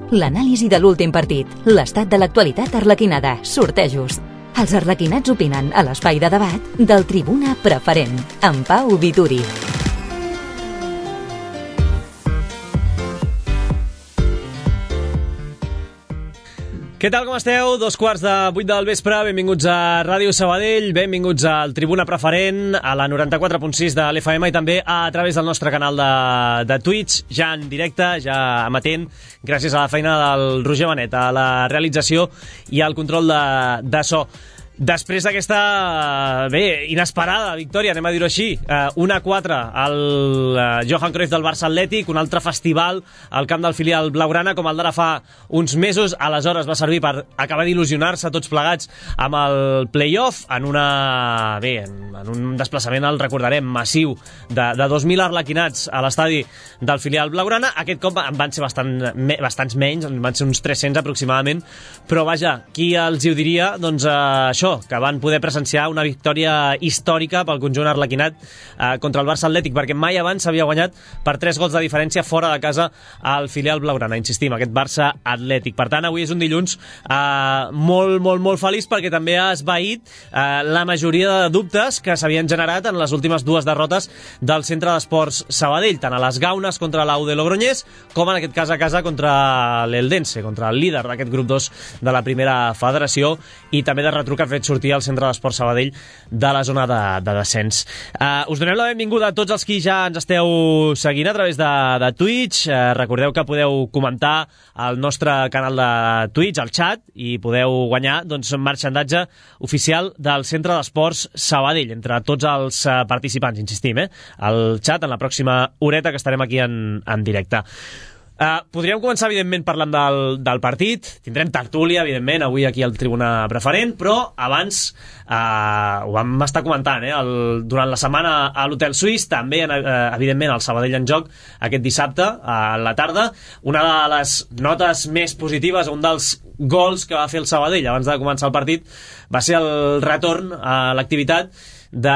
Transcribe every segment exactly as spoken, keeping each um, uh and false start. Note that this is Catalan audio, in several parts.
L'anàlisi de l'últim partit, l'estat de l'actualitat arlequinada, sortejos. Els arlequinats opinen a l'espai de debat del Tribuna Preferent, amb Pau Vituri. Què tal, com esteu? Dos quarts de vuit del vespre, benvinguts a Ràdio Sabadell, benvinguts al Tribuna Preferent, a la noranta-quatre punt sis de l'F M i també a través del nostre canal de, de Twitch, ja en directe, ja amatent, gràcies a la feina del Roger Benet, a la realització i al control de, de so. Després d'aquesta, bé, inesperada victòria, anem a dir-ho així, eh, un a quatre al eh, Johan Cruyff del Barça Atlètic, un altre festival al camp del filial blaugrana, com el d'ara fa uns mesos. Aleshores va servir per acabar d'il·lusionar-se tots plegats amb el play-off, en una, bé, en, en un desplaçament, el recordarem, massiu, de, de dos mil arlequinats a l'estadi del filial blaugrana. Aquest cop en van ser bastant, me, bastants menys, en van ser uns tres-cents aproximadament, però vaja, qui els hi ho diria? Doncs eh, això, que van poder presenciar una victòria històrica pel conjunt arlequinat eh, contra el Barça Atlètic, perquè mai abans s'havia guanyat per tres gols de diferència fora de casa al filial blaugrana, insistim, aquest Barça Atlètic. Per tant, avui és un dilluns eh, molt, molt, molt feliç, perquè també ha esvaït eh, la majoria de dubtes que s'havien generat en les últimes dues derrotes del Centre d'Esports Sabadell, tant a les Gaunes contra l'U de Logroñés, com en aquest cas a casa contra l'Eldense, contra el líder d'aquest grup dos de la primera federació, i també de retruc ha fet sortir al Centre d'Esport Sabadell de la zona de, de descens. Uh, us donem la benvinguda a tots els qui ja ens esteu seguint a través de, de Twitch. Uh, recordeu que podeu comentar al nostre canal de Twitch, al chat, i podeu guanyar doncs, marxandatge oficial del Centre d'Esports Sabadell entre tots els uh, participants, insistim, eh? Al chat en la pròxima horeta que estarem aquí en, en directe. Uh, podríem començar, evidentment, parlant del, del partit. Tindrem tertúlia, evidentment, avui aquí al Tribuna Preferent, però abans uh, ho vam estar comentant, eh? El, durant la setmana a l'Hotel Suís, també, uh, evidentment, el Sabadell en joc aquest dissabte a la tarda. Una de les notes més positives, un dels gols que va fer el Sabadell abans de començar el partit, va ser el retorn a l'activitat de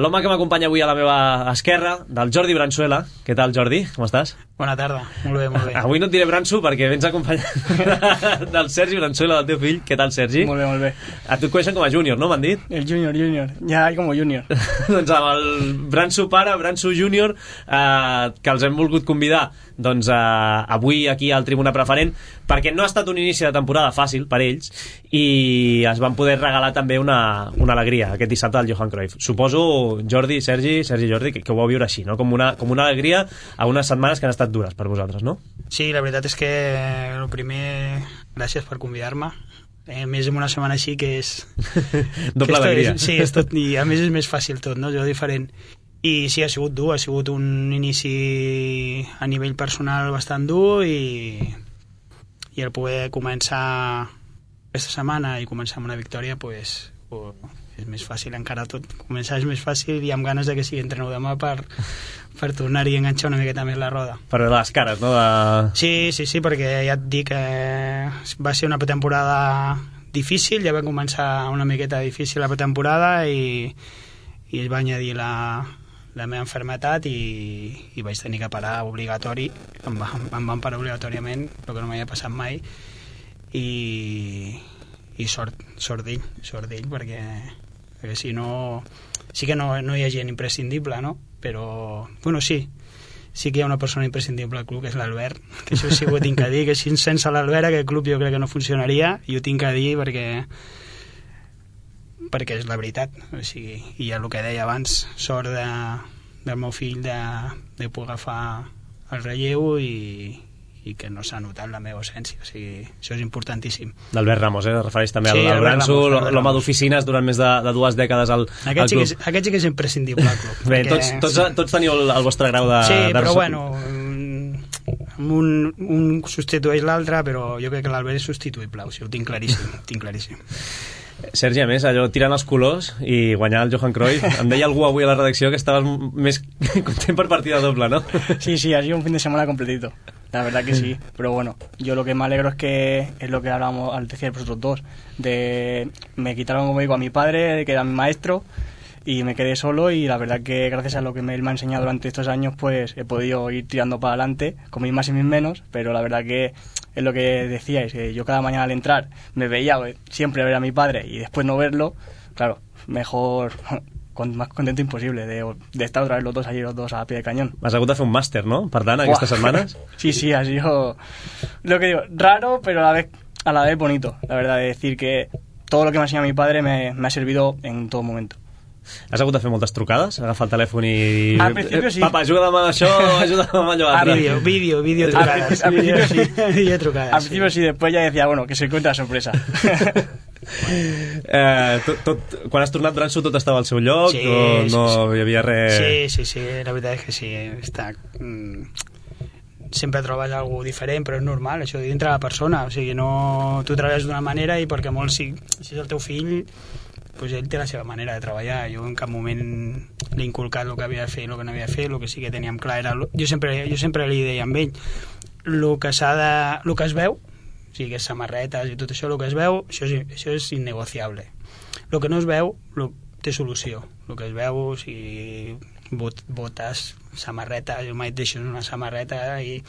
l'home que m'acompanya avui a la meva esquerra, del Jordi Bransuela. Què tal, Jordi? Com estàs? Bona tarda, molt bé, molt bé. Avui no et diré Bransu perquè vens acompanyat del Sergi Bransuela, del teu fill. Què tal, Sergi? Molt bé, molt bé. A tu et coneixen com a júnior, no? M'han dit? El júnior, júnior. Ja hay com júnior. Doncs amb el Bransu pare, Bransu júnior, eh, que els hem volgut convidar doncs, eh, avui aquí al Tribuna Preferent, perquè no ha estat un inici de temporada fàcil per ells i es van poder regalar també una, una alegria aquest dissabte al Johan Cruyff. Suposo, Jordi, Sergi, Sergi i Jordi, que, que ho vau viure així, no? Com una, com una alegria a unes setmanes que han estat dures per vosaltres, no? Sí, la veritat és que el primer, gràcies per convidar-me. Eh, més en una setmana així que és... Doble alegria. Sí, és tot, i a més és més fàcil tot, no? Jo diferent. I sí, ha sigut dur, ha sigut un inici a nivell personal bastant dur i, i el poder començar aquesta setmana i començar amb una victòria, pues, pues, és més fàcil encara tot. Començar és més fàcil i amb ganes de que sigui entrenou demà per, per tornar-hi a enganxar una miqueta més la roda. Per veure les cares, no? De... Sí, sí, sí, perquè ja et dic que va ser una pretemporada difícil, ja va començar una miqueta difícil la pretemporada i, i es va añadir la, la meva enfermetat i, i vaig tenir que parar obligatori, em, va, em van parar obligatòriament, el que no m'havia passat mai, i, i sort, sort d'ell, sort d'ell, perquè, perquè si no, sí que no, no hi ha gent imprescindible, no? Però, bueno, sí, sí que hi ha una persona imprescindible al club, que és l'Albert, que això sí que ho tinc a dir, que si sense l'Albert aquest club jo crec que no funcionaria, i ho tinc a dir perquè perquè és la veritat, o sigui, i ja el que deia abans, sort de, del meu fill de, de poder agafar el relleu i, i que no s'ha notat la meva ausència, o sigui, això és importantíssim. D'Albert Ramos, eh? Refereix també sí, al Bransu, l'home d'oficines durant més de, de dues dècades al, aquest al sí club. És, aquest sí que és imprescindible al club. Bé, perquè... tots, tots, tots teniu el, el vostre grau de... Sí, de... però bueno, un, un substitueix l'altre, però jo crec que l'Albert és substituïble, o sigui, ho tinc claríssim, ho tinc claríssim. Sergi, a més, allò, tirant els colors i guanyar el Johan Cruyff, em deia algú avui a la redacció que estaves més content per partida doble, ¿no? Sí, sí, ha sido un fin de semana completito, la verdad que sí, pero bueno, yo lo que me alegro es que es lo que hablábamos al decir vosotros dos, de me quitaron, como digo, a mi padre, que era mi maestro, y me quedé solo, y la verdad que gracias a lo que él me ha enseñado durante estos años, pues he podido ir tirando para adelante, con mis más y mis menos, pero la verdad que es lo que decíais, que yo cada mañana al entrar me veía siempre ver a mi padre y después no verlo, claro, mejor, con, más contento imposible de, de estar otra vez los dos allí, los dos a pie de cañón. Has hagut de fer un màster, no?, per tant, aquestes setmanes. Sí, sí, ha sido, lo que digo, raro, pero a la vez, a la vez bonito, la verdad, de decir que todo lo que me ha enseñado mi padre me, me ha servido en todo momento. Has hagut de fer moltes trucades? Agafar el telèfon i... Al principi sí. Papa, ajuda'm amb això, ajuda'm amb allò altre. Vídeo, vídeo, vídeo trucades. Al principio sí. Vídeo trucades. Al principio sí, después ya decía, bueno, que se encuentra la sorpresa. eh, tot, tot, quan has tornat, Branso, tot estava al seu lloc? Sí, o no sí, sí. hi havia res... Sí, sí, sí, la veritat és que sí. Està... Mm, sempre trobes alguna diferent, però és normal, això dintre la persona. O sigui, no... Tu treballes d'una manera i perquè molt si, si és el teu fill... pues ell té la seva manera de treballar. Jo en cap moment l'he inculcat el que havia de fer i el que no havia de fer. El que sí que teníem clar era... Jo sempre, jo sempre li deia amb ell el que s'ha de... el que es veu, o sigui, que és samarretes i tot això, el que es veu, això és, això és innegociable. El que no es veu lo, té solució. El que es veu, o sigui, bot, botes, samarretes, jo mai et deixo una samarreta i,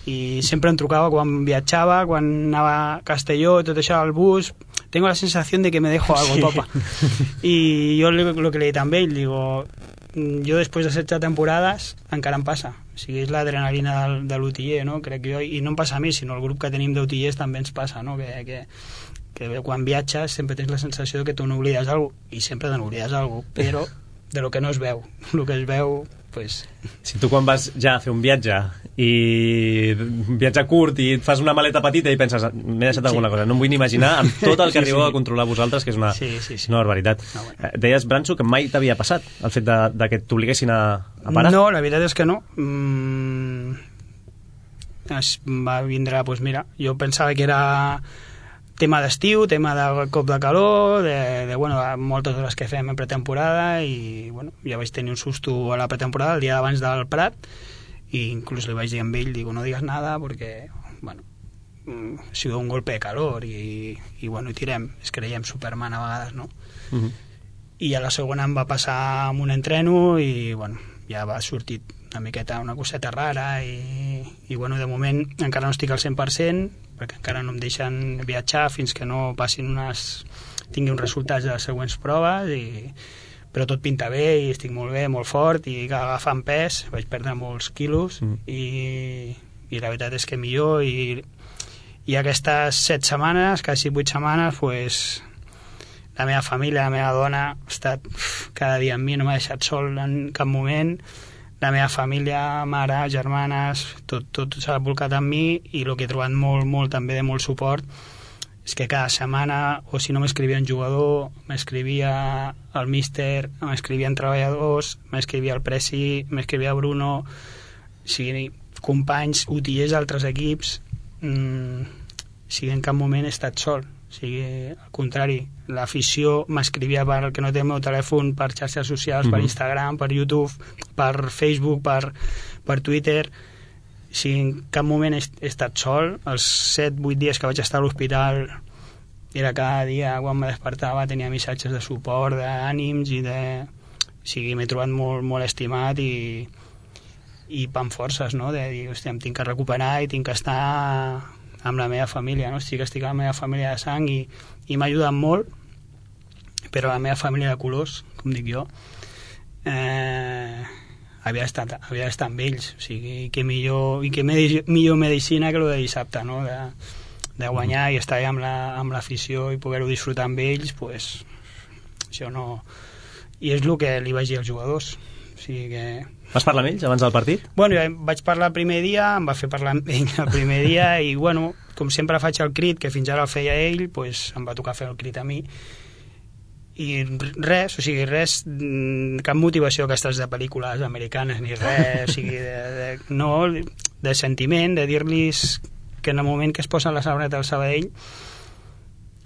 i sempre em trucava quan viatjava, quan anava a Castelló, tot això al bus... Tengo la sensación de que me dejo algo, sí. Papa. Y yo lo, lo que le he dit amb ell, digo, jo després de setze temporades encara em passa. O sigui, és l'adrenalina del, de l'utiller, no? Crec jo, i no em passa a mi, sinó el grup que tenim d'utillers també ens passa, no? Que, que, que quan viatges sempre tens la sensació de que tu no oblides alguna cosa, i sempre te n'oblides alguna cosa, però de lo que no es veu. El que es veu, pues... Si tu quan vas ja a fer un viatge i un viatge curt i et fas una maleta petita i penses, m'he deixat alguna sí. cosa, no em vull ni imaginar amb tot el que sí, arribeu sí. a controlar vosaltres, que és una, sí, sí, sí. una barbaritat. No, bueno. Deies, Branso, que mai t'havia passat el fet de, de que t'obliguessin a, a parar? No, la veritat és que no. Mm, es va vindre, doncs mira, jo pensava que era tema d'estiu, tema de cop de calor, de, de bueno, moltes hores que fem en pretemporada, i bueno, ja vaig tenir un susto a la pretemporada el dia abans del Prat, i inclús li vaig dir amb ell, digo, no digues nada perquè, bueno, ha sigut un golpe de calor i, i bueno, i tirem, es creiem Superman a vegades, no? Uh-huh. I a la segona em va passar amb un entreno i bueno, ja va sortir una miqueta, una coseta rara i, i bueno, de moment encara no estic al cent per cent perquè encara no em deixen viatjar fins que no passin unes... tingui uns resultats de les següents proves, i... però tot pinta bé i estic molt bé, molt fort, i agafant pes, vaig perdre molts quilos, mm. i, i la veritat és que millor, i, i aquestes set setmanes, quasi vuit setmanes, pues, la meva família, la meva dona ha estat cada dia amb mi, no m'ha deixat sol en cap moment. La meva família, mare, germanes, tot, tot s'ha volcat amb mi, i el que he trobat molt, molt també de molt suport és que cada setmana, o si no m'escrivia un jugador, m'escrivia el míster, m'escrivien treballadors, m'escrivia el Presi, m'escrivia Bruno, o sigui, companys, utillers d'altres equips, mmm, o sigui, en cap moment he estat sol. O sigui, al contrari, l'afició m'escrivia per el que no té el meu telèfon, per xarxes socials, mm-hmm. per Instagram, per YouTube, per Facebook, per, per Twitter. O sigui, en cap moment he, he estat sol. Els set vuit dies que vaig estar a l'hospital era cada dia, quan me despertava, tenia missatges de suport, d'ànims i de... O sigui, m'he trobat molt, molt estimat i, i amb forces, no? De dir, hòstia, em tinc que recuperar i tinc que estar amb la meva família, no? Sí que estic amb la meva família de sang i, i m'ha ajudat molt, però la meva família de colors, com dic jo, eh, havia estat, havia estat amb ells, o sigui, que millor, i que medi, millor medicina que el de dissabte, no? De, de guanyar i estar amb, la, amb l'afició i poder-ho disfrutar amb ells, pues, això no... I és el que li vaig dir als jugadors, o sigui que... Vas parlar amb ells abans del partit? Bueno, jo vaig parlar el primer dia, em va fer parlar amb ell el primer dia, i bueno, com sempre faig el crit, que fins ara el feia ell, pues, em va tocar fer el crit a mi, i res, o sigui, res, cap motivació aquestes de pel·lícules americanes ni res, o sigui, de, de, no, de sentiment, de dir-los que en el moment que es posen la sabaneta del Sabadell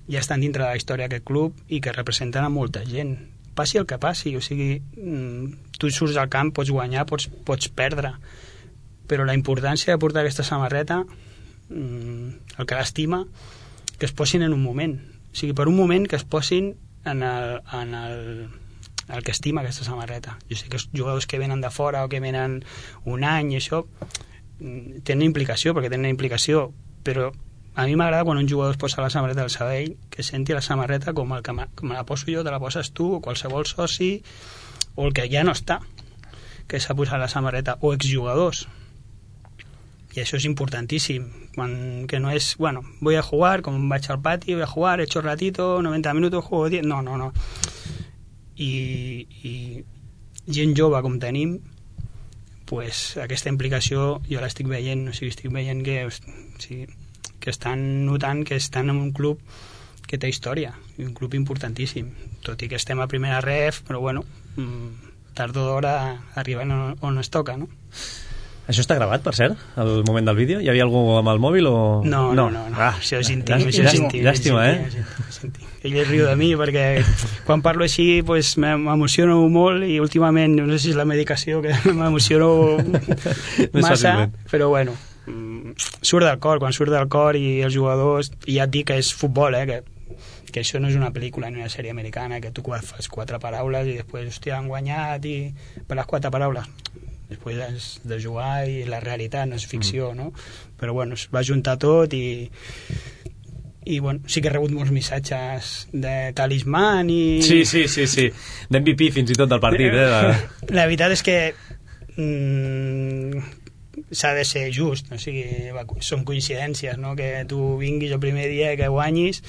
ja estan dintre de la història d'aquest club i que representen a molta gent, passi el que passi, o sigui, tu surts al camp, pots guanyar, pots, pots perdre, però la importància de portar aquesta samarreta, el que l'estima, que es posin en un moment, o sigui, per un moment que es posin en el, en el, el que estima aquesta samarreta. Jo sé que els jugadors que venen de fora o que venen un any i això tenen implicació, perquè tenen implicació, però a mi m'agrada quan un jugador es posa la samarreta del Sabadell, que senti la samarreta com, el que me, com la poso jo, te la poses tu, o qualsevol soci, o el que ja no està, que s'ha posat la samarreta, o exjugadors. I això és importantíssim, quan, que no és, bueno, voy a jugar, com vaig al pati, voy a jugar, he hecho ratito, noventa minutos, juego diez, no, no, no. I, i gent jove com tenim, pues, aquesta implicació jo l'estic veient, o sigui, estic veient que, o sigui, que estan notant que estan en un club que té història, un club importantíssim, tot i que estem a primera ref, però bueno, tard o d'hora arriben on, on es toca, no? Això està gravat, per cert, al moment del vídeo? Hi havia algú amb el mòbil o...? No, no, no, no. Ah, això és íntim, això és íntim. Llàstima, eh? Ell es riu de mi perquè quan parlo així pues, m'emociono molt i últimament, no sé si és la medicació que m'emociono massa, però bueno, surt del cor, quan surt del cor i els jugadors, i ja et dic que és futbol, eh, que, que això no és una pel·lícula ni una sèrie americana, que tu fas quatre paraules i després, hòstia, han guanyat i per les quatre paraules després és de jugar i la realitat no és ficció, mm. no? Però bueno, es va juntar tot i i bueno, sí que he rebut molts missatges de talismàn i... Sí, sí, sí, sí. d'M V P fins i tot del partit, eh? La, la veritat és que mm, s'ha de ser just, o sigui, va, són coincidències, no? Que tu vinguis el primer dia, que guanyis,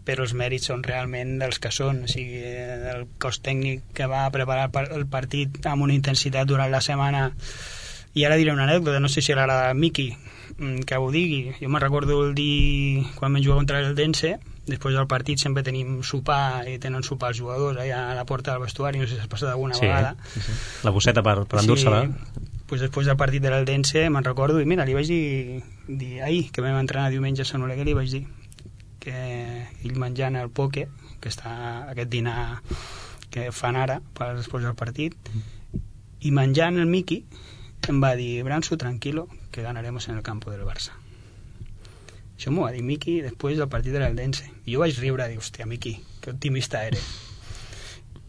però els mèrits són realment dels que són, o sigui, el cos tècnic que va preparar el partit amb una intensitat durant la setmana. I ara diré una anècdota, no sé si l'agrada a Miqui que ho digui. Jo me'n recordo el dia quan vam jugar contra el Dense, després del partit sempre tenim sopar i tenen sopar els jugadors allà a la porta del vestuari, no sé si has passat alguna sí, vegada. Sí, sí. La bosseta per, per endur-se-la. Sí. Pues després del partit de l'Eldense me'n recordo i mira, li vaig dir, dir ahir, que vam entrenar diumenge a Sant Oleguer, li vaig dir que ell menjant el poke, que està aquest dinar que fan ara per després del partit, i menjant el Miqui em va dir, Branso, tranquilo, que ganaremos en el campo del Barça. Això m'ho va dir Miqui després del partit de l'Eldense. I jo vaig riure, dic, hòstia, Miqui, que optimista eres.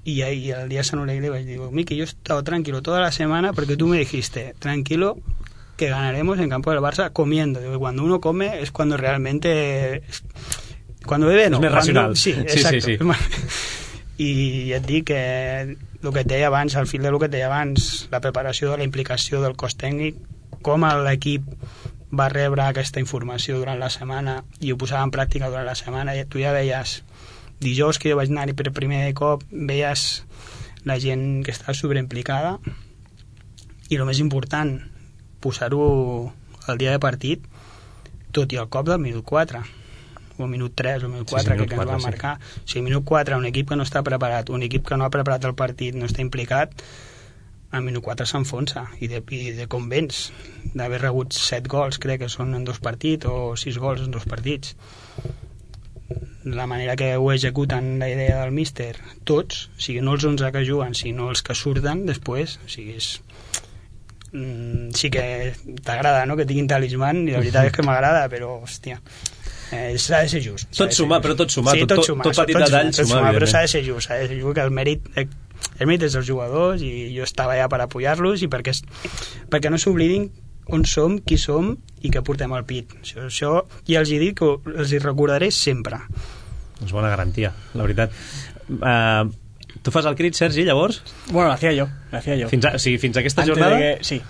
Y ahí el día de San Oleguer le digo, Miki, yo he estado tranquilo toda la semana porque tú me dijiste, tranquilo, que ganaremos en campo del Barça comiendo. Digo, cuando uno come es cuando realmente... Cuando bebe, no. És més cuando... racional. Sí, exacto. Sí, sí, sí. I ja et dic que el que et deia abans, al fil del que et deia abans, la preparació de la implicació del cos tècnic, com l'equip va rebre aquesta informació durant la setmana i ho posava en pràctica durant la setmana, i tu ja veies... Dijous que jo vaig anar-hi per primer cop, veies la gent que està sobreimplicada i el més important, posar-ho al dia de partit, tot i el cop del minut quatre o minut tres o minut quatre, sí, sí, que, que ens va sí. marcar. O sigui, minut quatre, un equip que no està preparat, un equip que no ha preparat el partit, no està implicat, al minut quatre s'enfonsa. I de, i de com vens, d'haver rebut set gols, crec que són en dos partits, o sis gols en dos partits. La manera que ho executen la idea del míster, tots, o sigui, no els onze que juguen, sinó els que surten després, o sigui, és... Mm, sí que t'agrada, no?, que tinguin talismàn, i la veritat és que m'agrada, però, hòstia, eh, s'ha de ser just. Tot sumar, però tot sumar, sí, tot, tot, sumar, tot petit tot detall sumar, sumar, però s'ha de ser just, s'ha de ser just, que el mèrit, el mèrit és dels jugadors, i jo estava allà per apoyar-los, i perquè, perquè no s'oblidin on som, qui som i que portem al pit. Això, això ja els hi dic, que els hi recordaré sempre. És bona garantia, la veritat. Uh, tu fas el crit, Sergi, llavors? Bueno, lo hacía yo, lo hacía yo. Fins a, o sigui, fins a aquesta Antes jornada? de que, sí,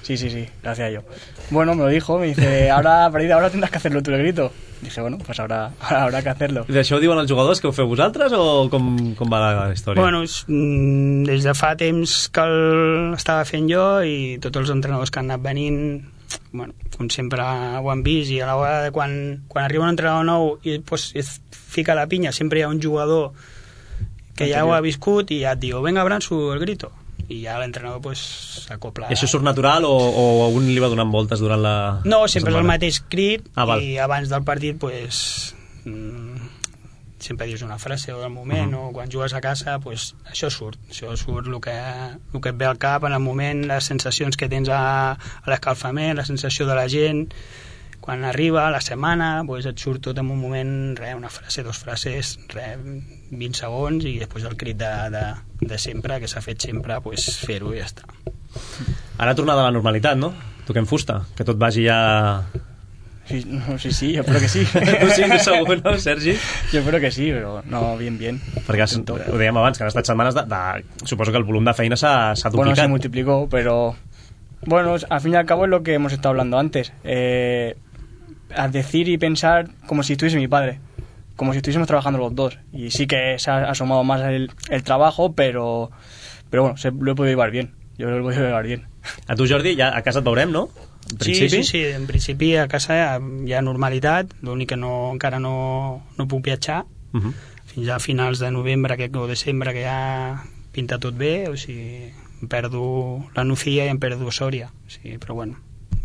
sí, sí, sí, lo hacía yo. Bueno, me lo dijo, me dice, ahora, a partir de ahora tendrás que hacerlo tú, el grito. Dije, bueno, pues ahora, ahora habrá que hacerlo. I això ho diuen els jugadors, que ho feu vosaltres, o com, com va la història? Bueno, des de fa temps que l'estava fent jo, i tots els entrenadors que han anat venint, bueno, com sempre ho han vist, i a l'hora de quan, quan arriba un entrenador nou i pues, es fica la pinya, sempre hi ha un jugador que ja ho ha viscut i ja et diu, venga, Branso, el grito, i ja l'entrenador pues, s'acopla. Això surt natural o, o un li va donant voltes durant la... No, sempre és el mateix crit, ah, i abans del partit pues, mm, sempre dius una frase o del moment, uh -huh. o quan jugues a casa pues, això surt, això surt el que, el que et ve al cap en el moment, les sensacions que tens a, a l'escalfament, la sensació de la gent quan arriba la setmana, pues, et surt tot en un moment, re, una frase, dos frases, re, vint segons, i després el crit de, de, de sempre, que s'ha fet sempre, pues, fer-ho i ja està. Ara tornada a la normalitat, no? Toquem fusta, que tot vagi ja Sí, no, sí, sí, yo espero que sí. Tu sí, segur, no, Sergi? Yo espero que sí, però no, bien, bien. Perquè has, ho dèiem abans, que han estat setmanes de, de... Suposo que el volum de feina s'ha duplicat. Bueno, se multiplicó, pero... Bueno, al fin y al cabo es lo que hemos estado hablando antes. Eh, a decir y pensar como si estuviese mi padre. Como si estuviésemos trabajando los dos. Y sí que se ha asomado más el, el trabajo, pero... Pero bueno, se, lo he podido llevar bien. Yo lo he podido llevar bien. A tu, Jordi, ja a casa et veurem, no? En sí, sí, sí, en principi a casa hi ha, hi ha normalitat, l'únic que no, encara no, no puc viatjar, uh -huh. fins a finals de novembre que, o desembre, que ja pinta tot bé, o sigui, em perdo la Nucía i em perdo Sòria, o sigui, però bueno,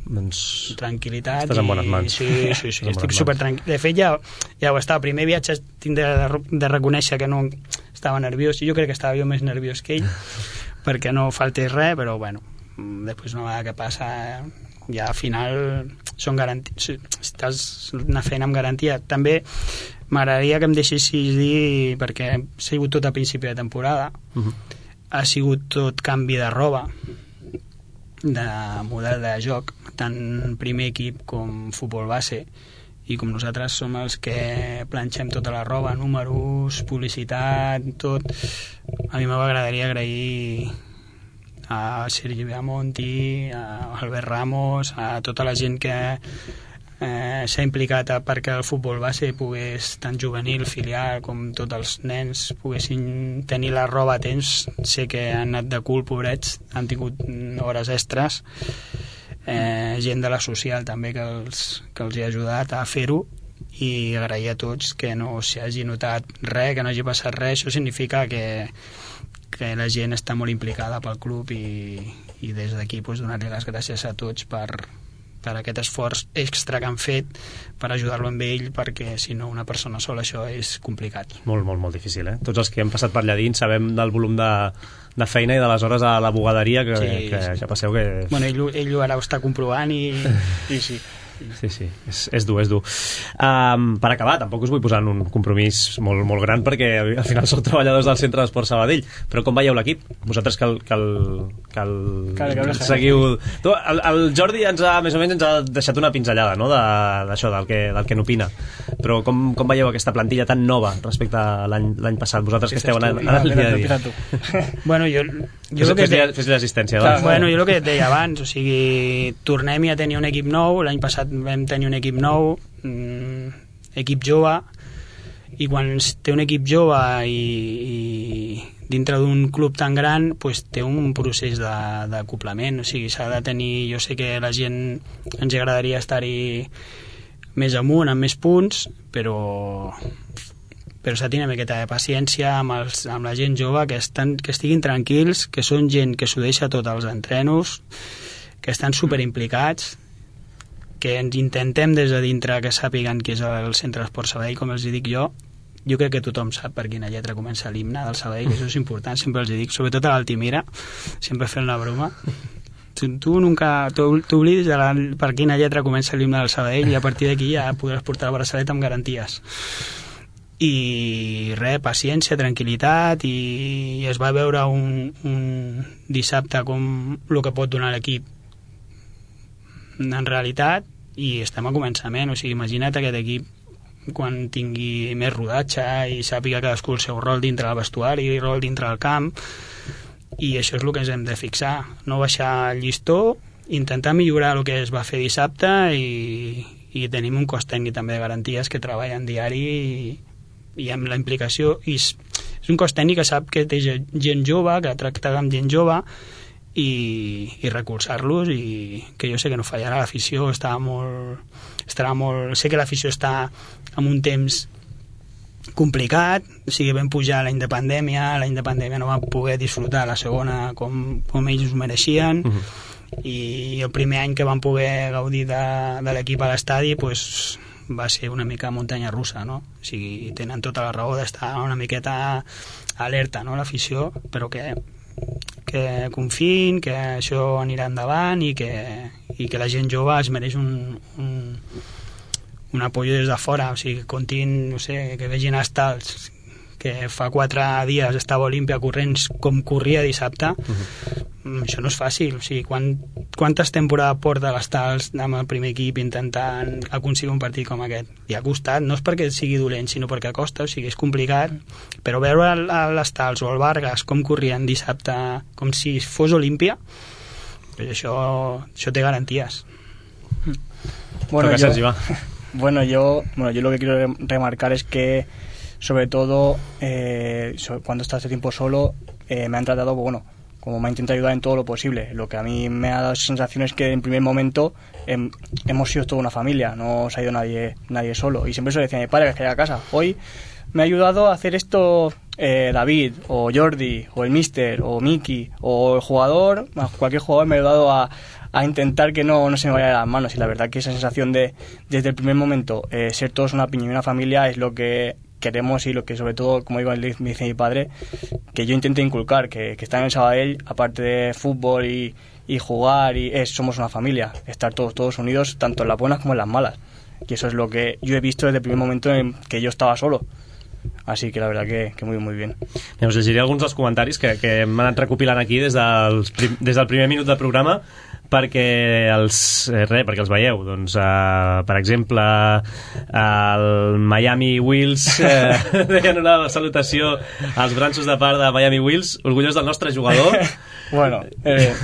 doncs tranquil·litat. estàs en bones mans. Sí, sí, sí, estic supertranquil. De fet, ja, ja ho estava. El primer viatge tinc de, de reconèixer que no estava nerviós, i jo crec que estava jo més nerviós que ell, perquè no faltés res, però bueno, després una vegada que passa... ja al final són garanties, estàs una feina amb garantia. També m'agradaria que em deixessis dir, perquè ha sigut tot a principi de temporada, uh-huh. ha sigut tot canvi de roba, de model de joc, tant primer equip com futbol base, i com nosaltres som els que planxem tota la roba, números, publicitat, tot, a mi m'agradaria agrair a Sergi Beamonti, a Albert Ramos, a tota la gent que eh, s'ha implicat perquè el futbol base pogués, tant juvenil, filial, com tots els nens poguessin tenir la roba a temps. Sé que han anat de cul, pobrets, han tingut hores extres, eh, gent de la social també que els, que els hi ha ajudat a fer-ho, i agrair a tots que no s'hi hagi notat res, que no hagi passat res. Això significa que que la gent està molt implicada pel club, i, i des d'aquí pues, donar-li les gràcies a tots per, per aquest esforç extra que han fet per ajudar-lo amb ell, perquè si no una persona sola això és complicat. Molt, molt, molt difícil, eh? Tots els que hem passat per allà dins sabem del volum de, de feina i de les hores a la bugaderia que, sí, que sí. Ja passeu que... Bueno, ell, ell ara ho està comprovant i, i sí. Sí, sí, és, és dur, és dur. Um, per acabar, tampoc us vull posar en un compromís molt, molt gran, perquè al final sou treballadors del Centre d'Esport Sabadell, però com veieu l'equip? Vosaltres que el, que el, que el, que el seguiu... Tu, el, el Jordi ens ha, més o menys ens ha deixat una pinzellada, no?, d'això, del que, del que n'opina, però com, com veieu aquesta plantilla tan nova respecte a l'any passat? Vosaltres que esteu en el dia a dia. Bueno, jo... jo fes-li fes l'assistència. Doncs. Bueno, jo el que et deia abans, o sigui, tornem a tenir un equip nou. L'any passat vam tenir un equip nou, mm, equip jove, i quan té un equip jove i, i dintre d'un club tan gran, pues, té un procés d'acoplament, o sigui, s'ha de tenir... Jo sé que la gent ens agradaria estar-hi més amunt, amb més punts, però però s'ha de tenir una miqueta de paciència amb, els, amb la gent jove, que, estan, que estiguin tranquils, que són gent que s'ho deixa tot als entrenos, que estan superimplicats, que ens intentem des de dintre que sàpiguen que és el Centre d'Esport Sabadell, com els dic jo. Jo crec que tothom sap per quina lletra comença l'himne del Sabadell, això és important, sempre els dic, sobretot a l'Altimira, sempre fent la broma. Tu, tu nunca t'oblides de la, per quina lletra comença l'himne del Sabadell, i a partir d'aquí ja podràs portar el braçalet amb garanties. I res, paciència, tranquil·litat, i, i es va veure un, un dissabte com el que pot donar l'equip en realitat, i estem a començament. O sigui, imagina't aquest equip quan tingui més rodatge i sàpiga cadascú el seu rol dintre del vestuari i el rol dintre del camp, i això és el que ens hem de fixar, no baixar el llistó, intentar millorar el que es va fer dissabte, i, i tenim un cos tècnic també de garanties que treballa en diari, i, i amb la implicació, i és, és un cos tècnic que sap que té gent jove, que tracta amb gent jove, i, i recolzar-los, i que jo sé que no fallarà. L'afició està molt, estarà molt... Sé que l'afició està en un temps complicat, o sigui, vam pujar l'any de pandèmia, l'any de pandèmia no vam poder disfrutar la segona com, com ells ho mereixien, uh-huh. i el primer any que vam poder gaudir de, de l'equip a l'estadi, pues, va ser una mica muntanya russa, no? O sigui, tenen tota la raó d'estar una miqueta alerta, no?, l'afició, però que que confiïn, que això anirà endavant, i que, i que la gent jove es mereix un, un, un apoyo des de fora, o sigui, que contin, no sé, que vegin Estals, que fa quatre dies estava Olímpia corrents com corria dissabte, uh-huh. això no és fàcil. O sigui, quan, quantes temporades porta l'Estals amb el primer equip intentant aconseguir un partit com aquest? I ha costat, no és perquè sigui dolent, sinó perquè costa, o sigui, és complicat, però veure l'Estals o el Vargas com corrien dissabte, com si fos Olímpia, pues això, això té garanties. Bueno, yo, bueno, yo, bueno, yo lo que quiero remarcar es que, sobre todo, eh, cuando está este tiempo solo, eh, me han tratado, bueno, como me ha intentado ayudar en todo lo posible. Lo que a mí me ha dado esa sensación es que en primer momento eh, hemos sido toda una familia, no se ha ido nadie, nadie solo. Y siempre se lo decía a mi padre que llega a casa, hoy me ha ayudado a hacer esto eh, David, o Jordi, o el Mister, o Miki, o el jugador, cualquier jugador me ha ayudado a, a intentar que no, no se me vaya de las manos. Y la verdad que esa sensación de, desde el primer momento, eh, ser todos una piña y una familia es lo que queremos y lo que sobre todo, como digo, me dice mi padre, que yo intento inculcar, que, que estar en el Sabadell, aparte de fútbol y, y jugar, y es, somos una familia, estar todos, todos unidos, tanto en las buenas como en las malas. Y eso es lo que yo he visto desde el primer momento en que yo estaba solo. Així que la veritat que, que molt, molt bé. Us llegiré alguns dels comentaris que, que hem anat recopilant aquí des, dels, des del primer minut del programa perquè els, eh, res, perquè els veieu. Doncs, uh, per exemple, el Miami Wheels eh, deien una salutació als branxos de part de Miami Wheels, orgullós del nostre jugador. Bueno, eh,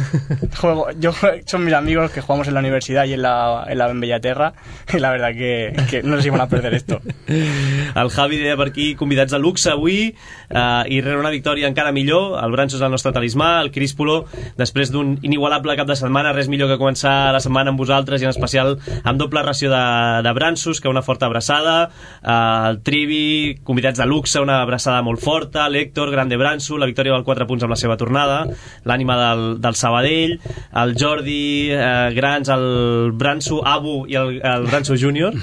juego, yo son mis amigos que jugamos en la universidad y en la, en la en Bellaterra, y la verdad que, que no nos iban a perder esto. El Javi deia per aquí, convidats de luxe avui, eh, i rere una victòria encara millor, el Branxos és el nostre talismà, el Críspolo, després d'un inigualable cap de setmana, res millor que començar la setmana amb vosaltres, i en especial amb doble ració de, de Branxos, que una forta abraçada, eh, el Trivi, convidats de luxe, una abraçada molt forta, l'Héctor, grande Branxo, la victòria del quatre punts amb la seva tornada, l'ànima del, del Sabadell, el Jordi, eh, grans, el Branxo Abu i el, el Branxo Júnior,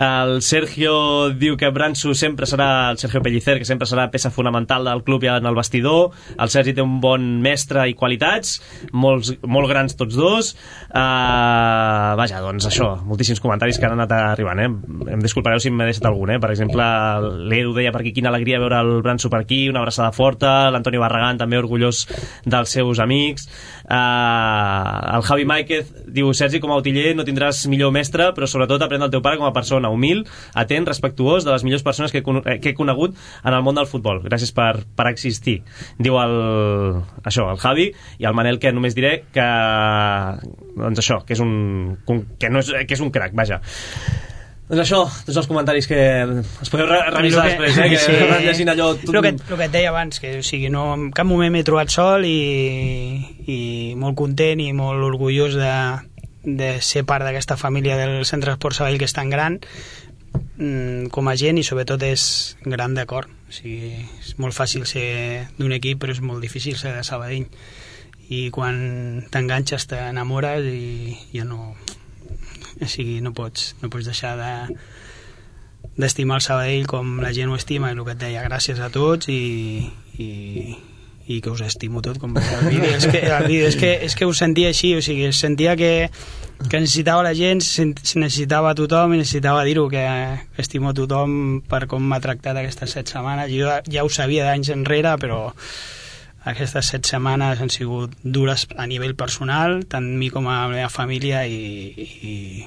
el Sergio diu que Branxo sempre serà, el Sergio Pellicer, que sempre serà peça fonamental del club i en el vestidor, el Sergi té un bon mestre i qualitats, molts, molt grans tots dos, uh, vaja, doncs això, moltíssims comentaris que han anat arribant, eh? Em disculpareu si m'he deixat algun, eh? Per exemple, l'Edu deia per aquí, quina alegria veure el Branxo per aquí, una abraçada forta, l'Antonio Barragán també orgullós dels seus amics, uh, el Javi Máiquez diu, Sergi, com a utiller no tindràs millor mestre, però sobretot aprèn del teu pare com a persona humil, atent, respectuós, de les millors persones que he, que he conegut en el món del futbol. Gràcies per, per existir. Diu el, això, el Javi, i el Manel, que només diré que doncs això, que és un que, no és, que és un crac, vaja. Doncs això, tots els comentaris que es podeu re revisar que, després, eh? Que sí, van llegint allò tot... el, que, el que et deia abans, que o sigui, no, en cap moment m'he trobat sol i, i molt content i molt orgullós de, de ser part d'aquesta família del Centre Esport Sabadell, que és tan gran com a gent, i sobretot és gran de cor. O sigui, és molt fàcil ser d'un equip, però és molt difícil ser de Sabadell, i quan t'enganxes t'enamores i ja no, o sigui, no pots, no pots deixar de d'estimar el Sabadell com la gent ho estima, i el que et deia, gràcies a tots, i, i, i que us estimo tot, com el vídeo. És que, el vídeo, és que, és que ho sentia així, o sigui, sentia que que necessitava la gent, necessitava a tothom, i necessitava dir-ho, que estimo a tothom per com m'ha tractat aquestes set setmanes. Jo ja ho sabia d'anys enrere, però aquestes set setmanes han sigut dures a nivell personal, tant a mi com a la meva família, i, i,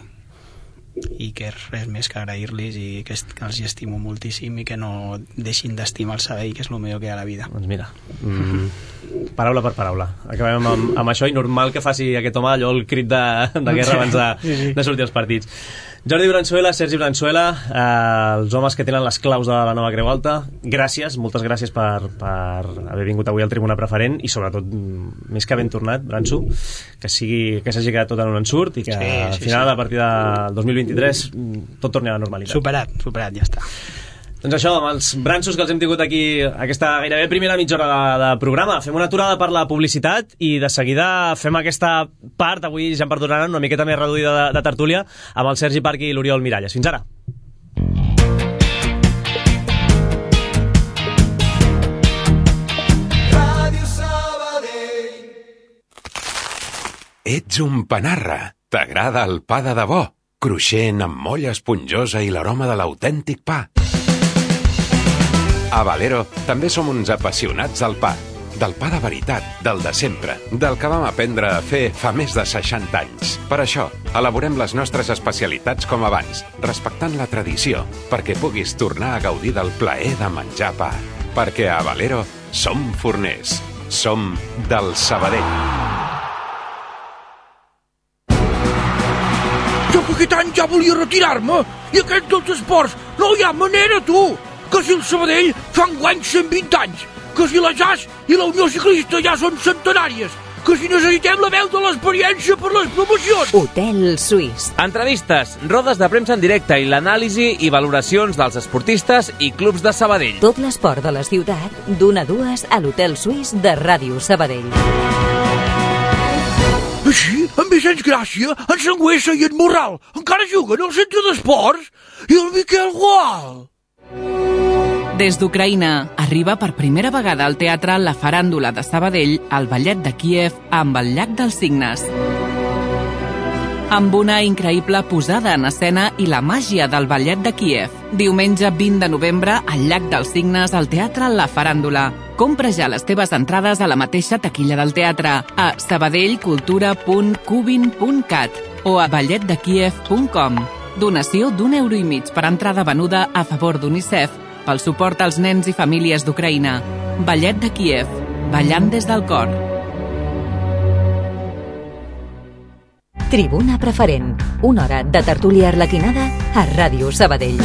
i que res més que agrair-los, i que, que els hi estimo moltíssim, i que no deixin d'estimar el Sabadell, que és el millor que hi ha a la vida. Doncs mira, mm, paraula per paraula. Acabem amb, amb això, i normal que faci aquest home allò el crit de, de guerra abans de, sí, sí. de sortir als partits. Jordi Branzuela, Sergi Branzuela, eh, els homes que tenen les claus de la nova Creu Alta, gràcies, moltes gràcies per, per haver vingut avui al Tribuna Preferent, i sobretot, més que ben tornat, Branxo, que sigui, que s'hagi quedat tot en un ensurt, i que sí, al final, sí. A partir del dos mil vint-i-tres, tot torni a la normalitat. Superat, superat, ja està. Doncs això, amb els Branxos que els hem tingut aquí aquesta gairebé primera mitja hora de, de programa, fem una aturada per la publicitat i de seguida fem aquesta part, avui ja em perdonaran, una miqueta més reduïda de, de tertúlia, amb el Sergi Parc i l'Oriol Miralles. Fins ara. Ràdio Sabadell. Ets un panarra. T'agrada el pa de debò, cruixent amb molla esponjosa i l'aroma de l'autèntic pa. A Valero també som uns apassionats del pa. del pa de veritat, del de sempre, del que vam aprendre a fer fa més de seixanta anys. Per això, elaborem les nostres especialitats com abans, respectant la tradició, perquè puguis tornar a gaudir del plaer de menjar pa. Perquè a Valero som forners. Som del Sabadell. Jo fa aquest any ja volia retirar-me i aquests dels esports no hi ha manera, tu! Que si el Sabadell fa enguany cent vint anys, que si la J A S i la Unió Ciclista ja són centenàries, que si necessitem la veu de l'experiència per les promocions. Hotel Suís. Entrevistes, rodes de premsa en directe i l'anàlisi i valoracions dels esportistes i clubs de Sabadell. Tot l'esport de la ciutat, d'una a dues a l'Hotel Suís de Ràdio Sabadell. Així, en Vicenç Gràcia, en Sangüesa i en Morral encara juguen al centre d'esports i el Miquel Gual. Des d'Ucraïna arriba per primera vegada al teatre La Faràndula de Sabadell, el ballet de Kíev amb el Llac dels Cignes. Amb una increïble posada en escena i la màgia del ballet de Kíev. Diumenge vint de novembre al Llac dels Cignes al Teatre La Faràndula. Compra ja les teves entrades a la mateixa taquilla del teatre a sabadellcultura punt cubin punt cat o a ballet de kíev punt com. Donació d'un euro i mig per entrada venuda a favor d'UNICEF pel suport als nens i famílies d'Ucraïna. Ballet de Kíev, ballant des del cor. Tribuna Preferent, una hora de tertúlia arlequinada a Ràdio Sabadell.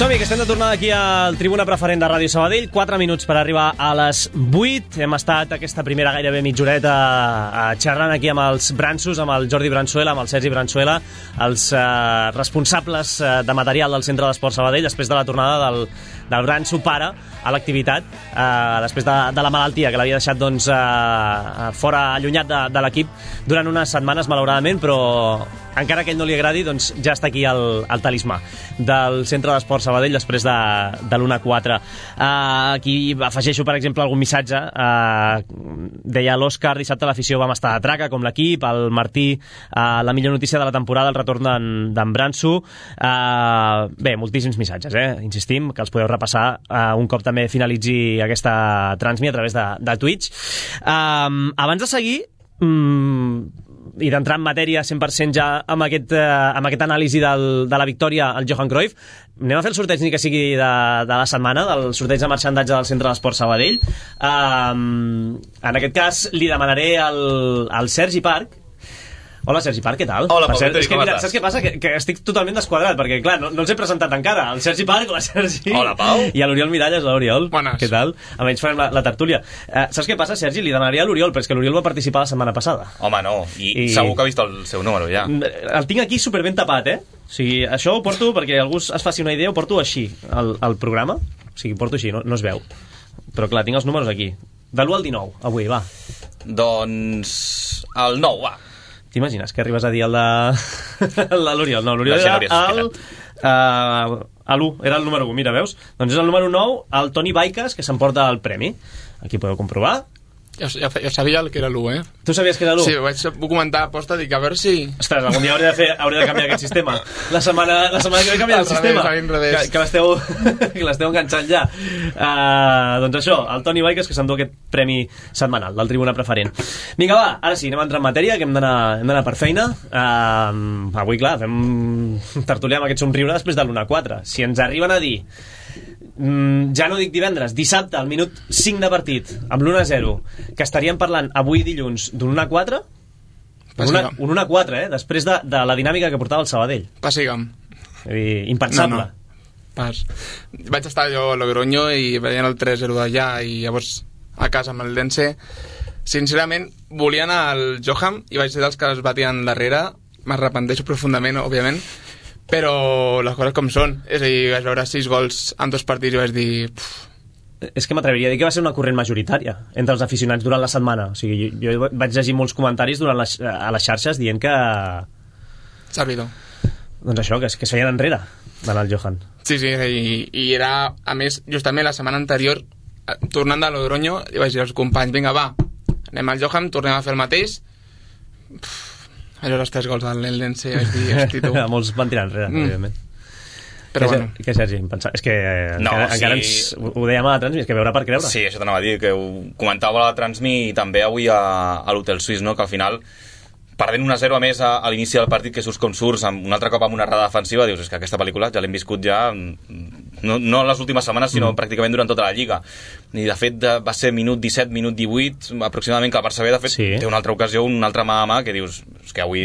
Som-hi, que estem de tornada aquí al Tribuna Preferent de Ràdio Sabadell. quatre minuts per arribar a les vuit. Hem estat aquesta primera gairebé mitja horeta eh, xerrant aquí amb els Bransos, amb el Jordi Bransuela, amb el Sergi Bransuela, els eh, responsables eh, de material del Centre d'Esport Sabadell, després de la tornada del, del Branso pare a l'activitat, eh, després de, de la malaltia que l'havia deixat doncs, eh, fora, allunyat de, de l'equip durant unes setmanes, malauradament, però encara que ell no li agradi, doncs ja està aquí el, el talismà del Centre d'Esport Sabadell després de, de l'una a quatre. Uh, aquí afegeixo, per exemple, algun missatge. Uh, deia l'Òscar, dissabte l'afició vam estar a traca, com l'equip, el Martí, uh, la millor notícia de la temporada, el retorn d'en Branso. Uh, bé, moltíssims missatges, eh? Insistim, que els podeu repassar uh, un cop també finalitzi aquesta transmi a través de, de Twitch. Uh, abans de seguir, um, i d'entrar en matèria cent per cent ja amb aquest, eh, amb aquest anàlisi del, de la victòria al Johan Cruyff, anem a fer el sorteig ni que sigui de, de la setmana, del sorteig de marxandatge del Centre d'Esport Sabadell. Um, en aquest cas li demanaré al, al Sergi Parc. Hola, Sergi Parc, què tal? Hola, per Pau, cert, és que, mira, estàs? saps què passa? Que, que estic totalment desquadrat, perquè, clar, no, no els he presentat encara. El Sergi Parc, la Sergi... Hola, Pau. I a l'Oriol Miralles, l'Oriol. Bones. Què tal? Almenys farem la, la tertúlia. Uh, saps què passa, Sergi? Li demanaria a l'Oriol, però és que l'Oriol va participar la setmana passada. Home, no, i, I- I... segur que ha vist el seu número, ja. El tinc aquí superben tapat, eh? O sigui, això ho porto perquè algú es faci una idea, ho porto així, al, al programa. O sigui, porto així, no, no es veu. Però clar, tinc els números aquí. De l'u al dinou, avui, va. Doncs... el nou, va. T'imagines que arribes a dir el de... el de l'Oriol? No, l'Oriol La era Genòria el... Uh, a l'u, era el número u, mira, veus? Doncs és el número nou, el Toni Baiques, que s'emporta el premi. Aquí podeu comprovar. Ja, ja, ja sabia el que era l'u, eh? Tu sabies que era l'u? Sí, ho vaig comentar a posta, dic, a veure si... Ostres, algun dia hauré de, fer, hauré de canviar aquest sistema. La setmana, la setmana que ve canviar el Al revés, sistema. al revés. Que, que l'esteu que l'esteu enganxant ja. Uh, doncs això, el Toni Baiques, que s'endú aquest premi setmanal del Tribuna Preferent. Vinga, va, ara sí, anem a entrar en matèria, que hem d'anar hem d'anar per feina. Uh, avui, clar, fem tertuliar amb aquest somriure després de l'una a quatre. Si ens arriben a dir... Mm, ja no dic divendres, dissabte, al minut cinc de partit, amb l'u a zero, que estaríem parlant avui dilluns d'un un a quatre, un un a quatre, eh? Després de, de la dinàmica que portava el Sabadell. Passiga'm. I, impensable. No, no. Pas. Vaig estar jo a Logroño i veient el tres zero d'allà i llavors a casa amb el Dense. Sincerament, volia anar al Johan i vaig ser dels que es batien darrere. M'arrepenteixo profundament, òbviament, però les coses com són. És a dir, vaig veure sis gols en dos partits i vaig dir... Pff. És que m'atreviria a dir que va ser una corrent majoritària entre els aficionats durant la setmana. O sigui, jo, jo vaig llegir molts comentaris durant les, a les xarxes dient que... Servidor. Doncs això, que, es- que es feien enrere d'anar al Johan. Sí, sí, i, i era, a més, justament la setmana anterior tornant de Logronyo, i vaig dir als companys, vinga, va, anem al Johan, tornem a fer el mateix. Pff, allò els tres gols del Eldense, vaig dir, hosti, tu. Molts van tirar enrere, mm. evidentment. Però que, bueno. Que Sergi, em pensava... És que no, encara, sí. encara ens, ho dèiem a la Transmi, és que veure per creure. Sí, això t'anava a dir, que ho comentava a la Transmi i també avui a, a l'Hotel Suís, no? Que al final, perdent un a zero a més a, a l'inici del partit, que surts com surts, amb un altre cop amb una errada defensiva, dius, és que aquesta pel·lícula ja l'hem viscut ja, no, no en les últimes setmanes, sinó mm. pràcticament durant tota la Lliga. I de fet de, va ser minut disset, minut divuit, aproximadament, que el Barça B, de fet, sí. té una altra ocasió, una altra mà a mà, que dius, és que avui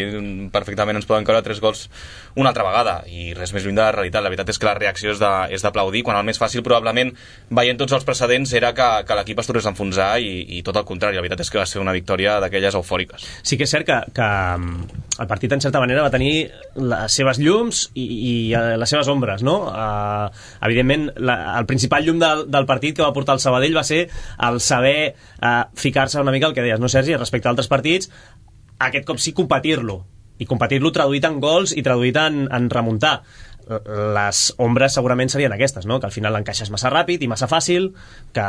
perfectament ens poden caure tres gols una altra vegada, i res més lluny de la realitat. La veritat és que la reacció és de- és d'aplaudir, quan el més fàcil, probablement, veient tots els precedents, era que, que l'equip es tornés a enfonsar, i, i tot el contrari. La veritat és que va ser una victòria d'aquelles eufòriques. Sí que és cert que, que el partit, en certa manera, va tenir les seves llums i, i les seves ombres, no? Uh, evidentment, la, el principal llum del, del partit que va portar el Sabadell va ser el saber uh, ficar-se una mica, el que deies, no, Sergi? Respecte a altres partits, aquest cop sí competir-lo, i competir-lo traduït en gols i traduït en, en remuntar. Les ombres segurament serien aquestes, no? Que al final l'encaixes massa ràpid i massa fàcil, que,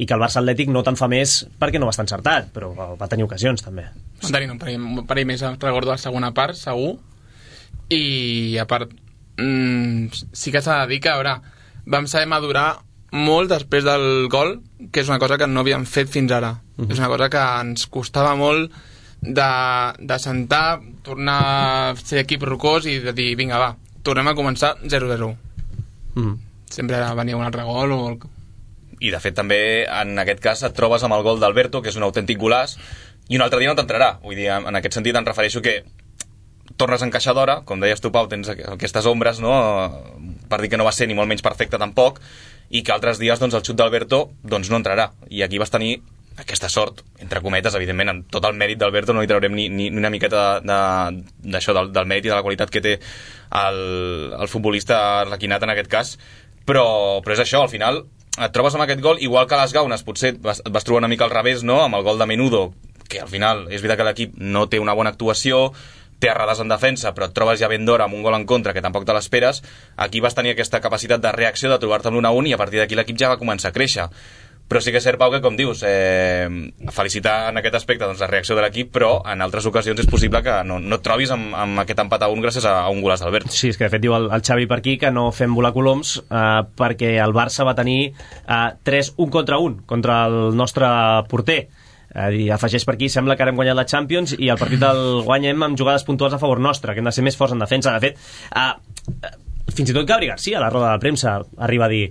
i que el Barça Atlètic no te'n fa més perquè no va estar encertat, però va tenir ocasions també. Van tenir un parell, un parell més, recordo la segona part, segur, i a part mmm, sí que s'ha de dir que, a veure, vam saber madurar molt després del gol, que és una cosa que no havíem fet fins ara. Uh-huh. És una cosa que ens costava molt de, de sentar, tornar a ser equip rocós i de dir, vinga, va, tornem a començar zero zero. Uh-huh. Sempre venia un altre gol o... I de fet també en aquest cas et trobes amb el gol d'Alberto, que és un autèntic golàs, i un altre dia no t'entrarà. Vull dir, en aquest sentit em refereixo que tornes a encaixar d'hora, com deies tu, Pau, tens aquestes ombres, no? Per dir que no va ser ni molt menys perfecte tampoc, i que altres dies doncs, el xut d'Alberto doncs, no entrarà. I aquí vas tenir aquesta sort, entre cometes, evidentment, amb tot el mèrit d'Alberto no hi traurem ni, ni, ni una miqueta d'això, de, del, del mèrit i de la qualitat que té el, el futbolista arlequinat en aquest cas, però, però és això, al final et trobes amb aquest gol, igual que a les Gaunes potser vas, et vas trobar una mica al revés, no?, amb el gol de Menudo, que al final és veritat que l'equip no té una bona actuació, té errades en defensa, però et trobes ja ben d'hora amb un gol en contra que tampoc te l'esperes. Aquí vas tenir aquesta capacitat de reacció, de trobar-te amb l'un a un, i a partir d'aquí l'equip ja va començar a créixer. Però sí que és cert, Pau, que com dius, eh, felicitar en aquest aspecte doncs, la reacció de l'equip, però en altres ocasions és possible que no, no et trobis amb, amb aquest empat a un gràcies a, a un golàs d'Alberto. Sí, és que de fet diu el, el Xavi per aquí que no fem volar coloms eh, perquè el Barça va tenir eh, tres un contra un contra el nostre porter. Eh, i afegeix per aquí, sembla que ara hem guanyat la Champions i el partit el guanyem amb jugades puntuals a favor nostre, que hem de ser més forts en defensa. De fet, eh, fins i tot Gabri Garcia, a la roda de premsa, arriba a dir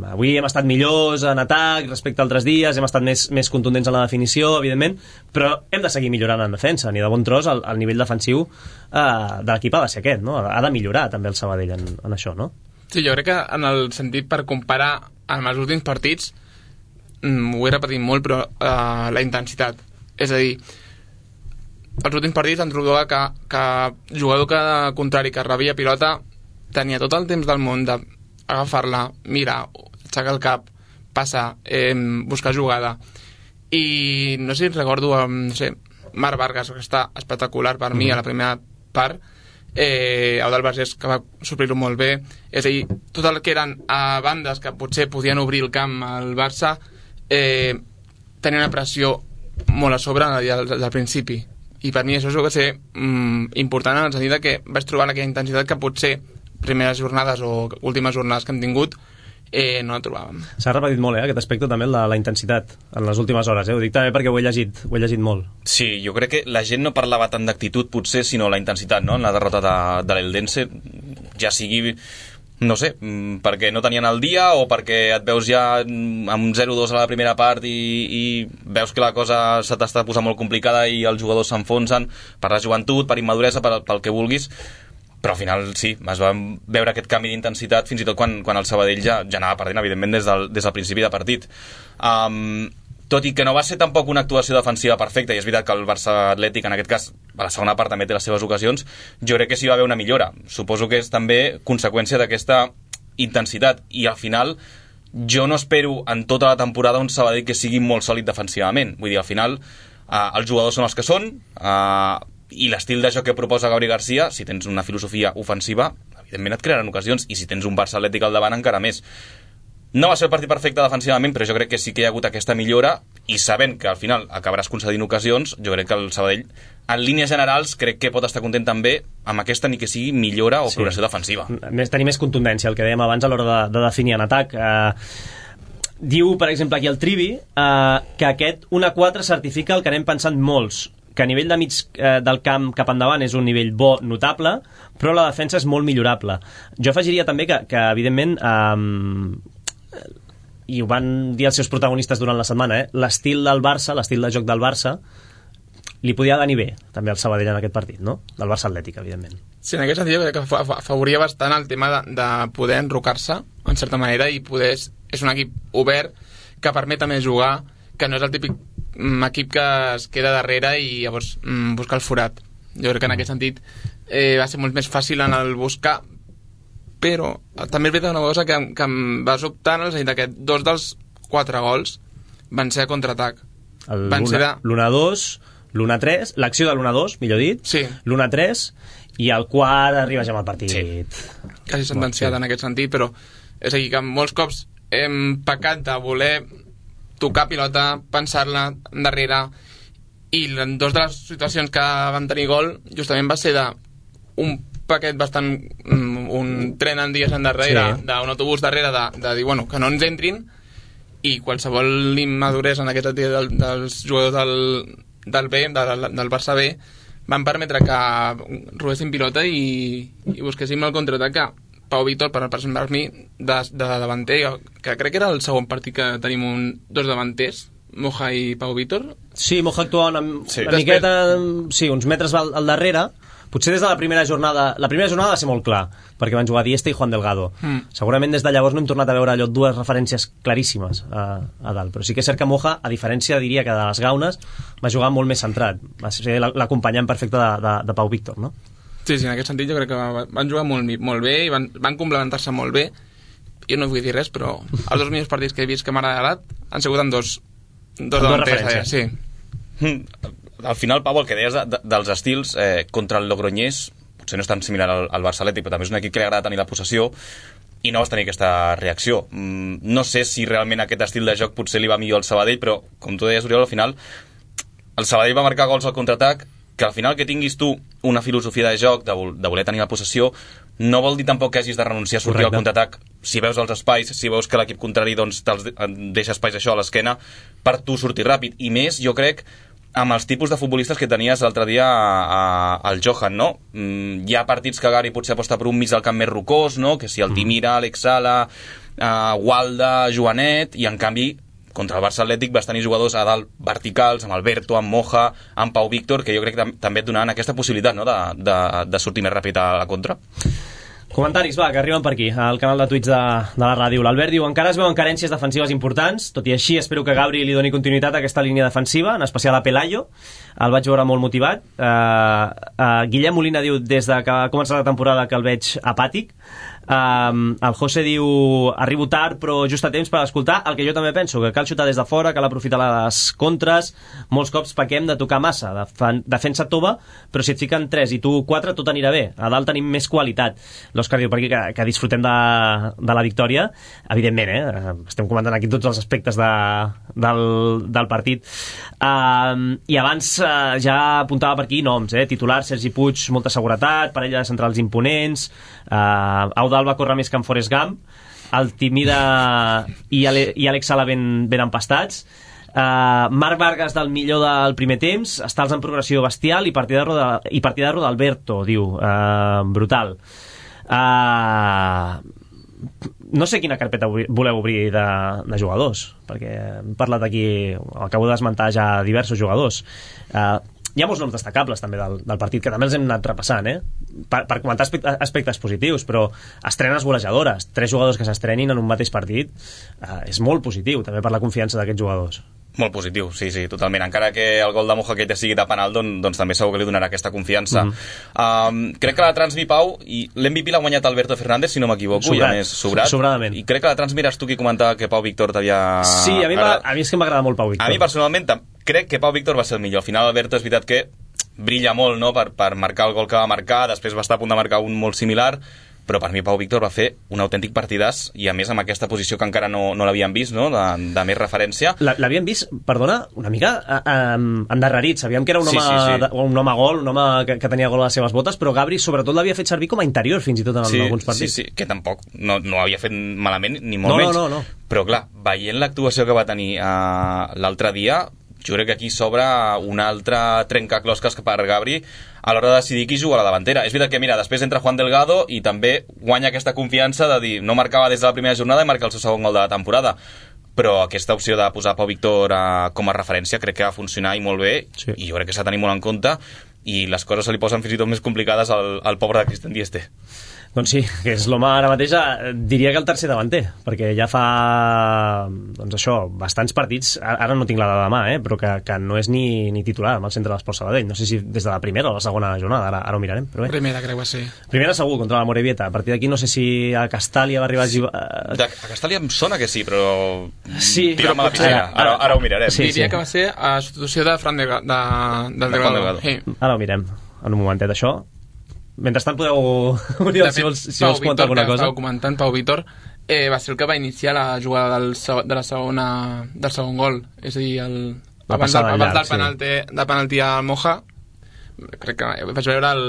avui hem estat millors en atac respecte a altres dies, hem estat més, més contundents en la definició, evidentment, però hem de seguir millorant en defensa, ni de bon tros el, el nivell defensiu eh, de l'equip ha de ser aquest, no? Ha de millorar també el Sabadell en, en això, no? Sí, jo crec que en el sentit per comparar amb els últims partits, mm, ho he repetit molt, però eh, la intensitat, és a dir, els últims partits em trobava que, que jugador que contrari que rebia pilota tenia tot el temps del món de agafar-la, mirar, aixecar el cap, passar, eh, buscar jugada. I no sé si recordo, no sé, Marc Vargas, que està espectacular per mi a la primera part, eh, Eudald Vergés, que va suplir-ho molt bé. És a dir, tot el que eren a bandes que potser podien obrir el camp al Barça, eh, tenia una pressió molt a sobre del, del principi. I per mi això és el que ser mm, important en el sentit que vaig trobar aquella intensitat que potser primeres jornades o últimes jornades que hem tingut eh, no la trobàvem. S'ha repetit molt, eh, aquest aspecte també, la, la intensitat en les últimes hores, eh? Ho dic també perquè ho he llegit, ho he llegit molt. Sí, jo crec que la gent no parlava tant d'actitud potser, sinó la intensitat, no?, en la derrota de, de l'Eldense, ja sigui, no sé, perquè no tenien el dia o perquè et veus ja amb zero dos a la primera part i, i veus que la cosa se t'està posant molt complicada i els jugadors s'enfonsen per la joventut, per immaduresa, per, pel que vulguis. Però al final sí, es va veure aquest canvi d'intensitat fins i tot quan, quan el Sabadell ja, ja anava perdent, evidentment, des del, des del principi de partit. Um, tot i que no va ser tampoc una actuació defensiva perfecta, i és veritat que el Barça Atlètic, en aquest cas, a la segona part també té les seves ocasions, jo crec que sí va haver una millora. Suposo que és també conseqüència d'aquesta intensitat, i al final jo no espero en tota la temporada un Sabadell que sigui molt sòlid defensivament. Vull dir, al final uh, els jugadors són els que són, uh, i l'estil de joc que proposa Gabri Garcia, si tens una filosofia ofensiva, evidentment et crearan ocasions, i si tens un Barça Atlètic al davant encara més. No va ser el partit perfecte defensivament, però jo crec que sí que hi ha hagut aquesta millora, i sabent que al final acabaràs concedint ocasions, jo crec que el Sabadell, en línies generals, crec que pot estar content també amb aquesta ni que sigui millora o sí. progressió defensiva. Més, tenir més contundència, el que dèiem abans a l'hora de, de definir en atac. Eh, diu, per exemple, aquí el Trivi, eh, que aquest un a quatre certifica el que anem pensant molts, que a nivell de mig eh, del camp cap endavant és un nivell bo, notable, però la defensa és molt millorable. Jo afegiria també que, que evidentment... Eh, i ho van dir els seus protagonistes durant la setmana, eh? l'estil del Barça, l'estil de joc del Barça li podia venir bé també al Sabadell en aquest partit, no? Del Barça Atlètic, evidentment. Sí, en aquest sentit crec que afavoria bastant el tema de, de poder enrocar-se en certa manera i poder... És un equip obert que permet també jugar, que no és el típic equip que es queda darrere i llavors mm, busca el forat. Jo crec que en aquest sentit eh, va ser molt més fàcil en el buscar, però també és veritat una cosa que, que em va sobtar en el sentit que dos dels quatre gols van ser a contraatac. L'un a dos, l'un a tres, l'acció de l'un a dos, millor dit, sí. l'un a tres, i el quart arriba ja amb el partit. Sí. Quasi sentenciat sí. en aquest sentit, però és a dir que molts cops hem pecat de voler tocar pilota, pensar-la endarrere, i en dos de les situacions que van tenir gol justament va ser de un paquet bastant un tren en dies endarrere, sí. d'un autobús darrere de, de dir, bueno, que no ens entrin, i qualsevol immaduresa en aquest sentit del, dels jugadors del, del B, del, del Barça B, van permetre que robessin pilota i, i busquéssim el contraatac que Pau Víctor, per, per mi, de, de davanter, que crec que era el segon partit que tenim un, dos davanters, Moja i Pau Víctor. Sí, Moja actua una, sí. una miqueta, sí, uns metres al, al darrere. Potser des de la primera jornada... La primera jornada va ser molt clar, perquè van jugar Dieste i Juan Delgado. Mm. Segurament des de llavors no hem tornat a veure allò dues referències claríssimes a, a dalt. Però sí que és cert que Moja, a diferència, diria que de les Gaunes, va jugar molt més centrat. Va ser l'acompanyant perfecte de, de, de Pau Víctor, no? Sí, sí, en aquest sentit jo crec que van jugar molt, molt bé i van, van complementar-se molt bé. Jo no vull dir res, però els dos millors partits que he vist que m'ha agradat han sigut en dos, dos davanters. Sí. Mm. Al final, Pau, el que deies de, de, dels estils eh, contra el Logroñés potser no és tan similar al, al Barça Atlètic, però també és un equip que li agrada tenir la possessió i no vas tenir aquesta reacció. Mm, no sé si realment aquest estil de joc potser li va millor al Sabadell, però com tu deies, Oriol, al final el Sabadell va marcar gols al contraatac, que al final que tinguis tu una filosofia de joc, de, de voler tenir la possessió, no vol dir tampoc que hagis de renunciar a sortir Correcte. Al contraatac si veus els espais, si veus que l'equip contrari doncs, deixa espais això a l'esquena per tu sortir ràpid. I més, jo crec, amb els tipus de futbolistes que tenies l'altre dia al Johan, no? Mm, hi ha partits que Gary potser aposta per un mig del camp més rocós, no? Que si el Timira, Alex Sala, uh, Walda, Joanet, i en canvi contra el Barça Atlètic vas tenir jugadors a dalt verticals, amb Alberto, amb Moja, amb Pau Víctor, que jo crec que també et donaven aquesta possibilitat, no? de, de, de sortir més ràpid a la contra. Comentaris, va, que arriben per aquí, al canal de tuits de, de la ràdio. L'Albert diu, encara es veuen carències defensives importants, tot i així espero que Gabri li doni continuïtat a aquesta línia defensiva, en especial a Pelayo, el vaig veure molt motivat. Uh, uh, Guillem Molina diu, des de que ha començat la temporada que el veig apàtic. Um, el José diu, arribo tard però just a temps per escoltar el que jo també penso, que cal xutar des de fora, cal aprofitar les contres, molts cops pequem de tocar massa, de defensa tova, però si et fiquen tres i tu quatre tot anirà bé, a dalt tenim més qualitat. L'Òscar diu per aquí que, que disfrutem de, de la victòria, evidentment, eh? Estem comentant aquí tots els aspectes de, del, del partit. Um, i abans uh, ja apuntava per aquí noms, eh? Titular, Sergi Puig, molta seguretat, parella de centrals imponents, uh, Auda va córrer més que en Forrest Gump, el Timida i, Ale, i Alex Sala ben, ben empastats. Uh, Marc Vargas del millor del primer temps, estals en progressió bestial i partidarro de, i partidarro d'Alberto, diu, uh, brutal. Uh, no sé quina carpeta voleu obrir de, de jugadors, perquè hem parlat aquí, acabo d'esmentar ja diversos jugadors. Uh, hi ha molts noms destacables també del, del partit, que també els hem anat repassant, eh? per, per comentar aspectes, aspectes positius, però estrenes golejadores, tres jugadors que s'estrenin en un mateix partit, eh, és molt positiu també per la confiança d'aquests jugadors. Molt positiu, sí, sí, totalment. Encara que el gol de Moja que ja sigui de penal, doncs, doncs també segur que li donarà aquesta confiança. Mm-hmm. um, crec que la Transmi, Pau, i l'M V P l'ha guanyat Alberto Fernández, si no m'equivoco, i a més sobrat. Sobradament. I crec que la Transmi eres tu qui comentava que Pau Víctor t'havia... Sí, a mi, a mi és que m'agrada molt Pau Víctor. A mi personalment crec que Pau Víctor va ser el millor. Al final Alberto és veritat que brilla molt, no?, per, per marcar el gol que va marcar, després va estar a punt de marcar un molt similar, però per mi Pau Víctor va fer un autèntic partidàs, i a més amb aquesta posició que encara no, no l'havíem vist, no? de, de més referència. L'havíem vist, perdona, una mica eh, endarrerit, sabíem que era un home, sí, sí, sí. un home gol, un home que, que tenia gol a les seves botes, però Gabri sobretot l'havia fet servir com a interior fins i tot en, sí, en alguns partits. Sí, sí, que tampoc no, no havia fet malament, ni molt no, menys. No, no, no. Però clar, veient l'actuació que va tenir uh, l'altre dia, jo crec que aquí s'obre un altre trencaclosques per Gabri a l'hora de decidir qui juga a la davantera. És veritat que, mira, després entra Juan Delgado i també guanya aquesta confiança de dir no marcava des de la primera jornada i marca el seu segon gol de la temporada. Però aquesta opció de posar Pau Víctor uh, com a referència crec que va funcionar i molt bé, sí. I jo crec que s'ha de tenir molt en compte, i les coses se li posen fins i tot més complicades al, al pobre de Christian Dieste. Doncs sí, que és l'home ara mateix, diria que el tercer davanter, perquè ja fa, doncs això, bastants partits, ara no tinc la dada de mà, eh, però que, que no és ni, ni titular amb el centre de l'Esport Sabadell. No sé si des de la primera o la segona jornada, ara, ara ho mirarem. Però bé. Primera, crec que sí. Primera segur, contra la Morevieta. A partir d'aquí no sé si a Castàlia va arribar... A, de, a Castàlia em sona que sí, però... Sí, però a la piscina. Ara, ara, ara ho mirarem. Sí, Diria sí. que va ser a substitució de Fran de, de, de, del Delgado. Sí. Ara ho mirem, en un momentet, això. Mentrestant podeu unir si vols, si vols comentar alguna cosa. Estava comentant, Pau Víctor eh, va ser el que va iniciar la jugada del, de la segona, del segon gol, és a dir, el, abans, del, abans llarg, del penalti, sí. de penalti al Moja, crec que vaig veure el,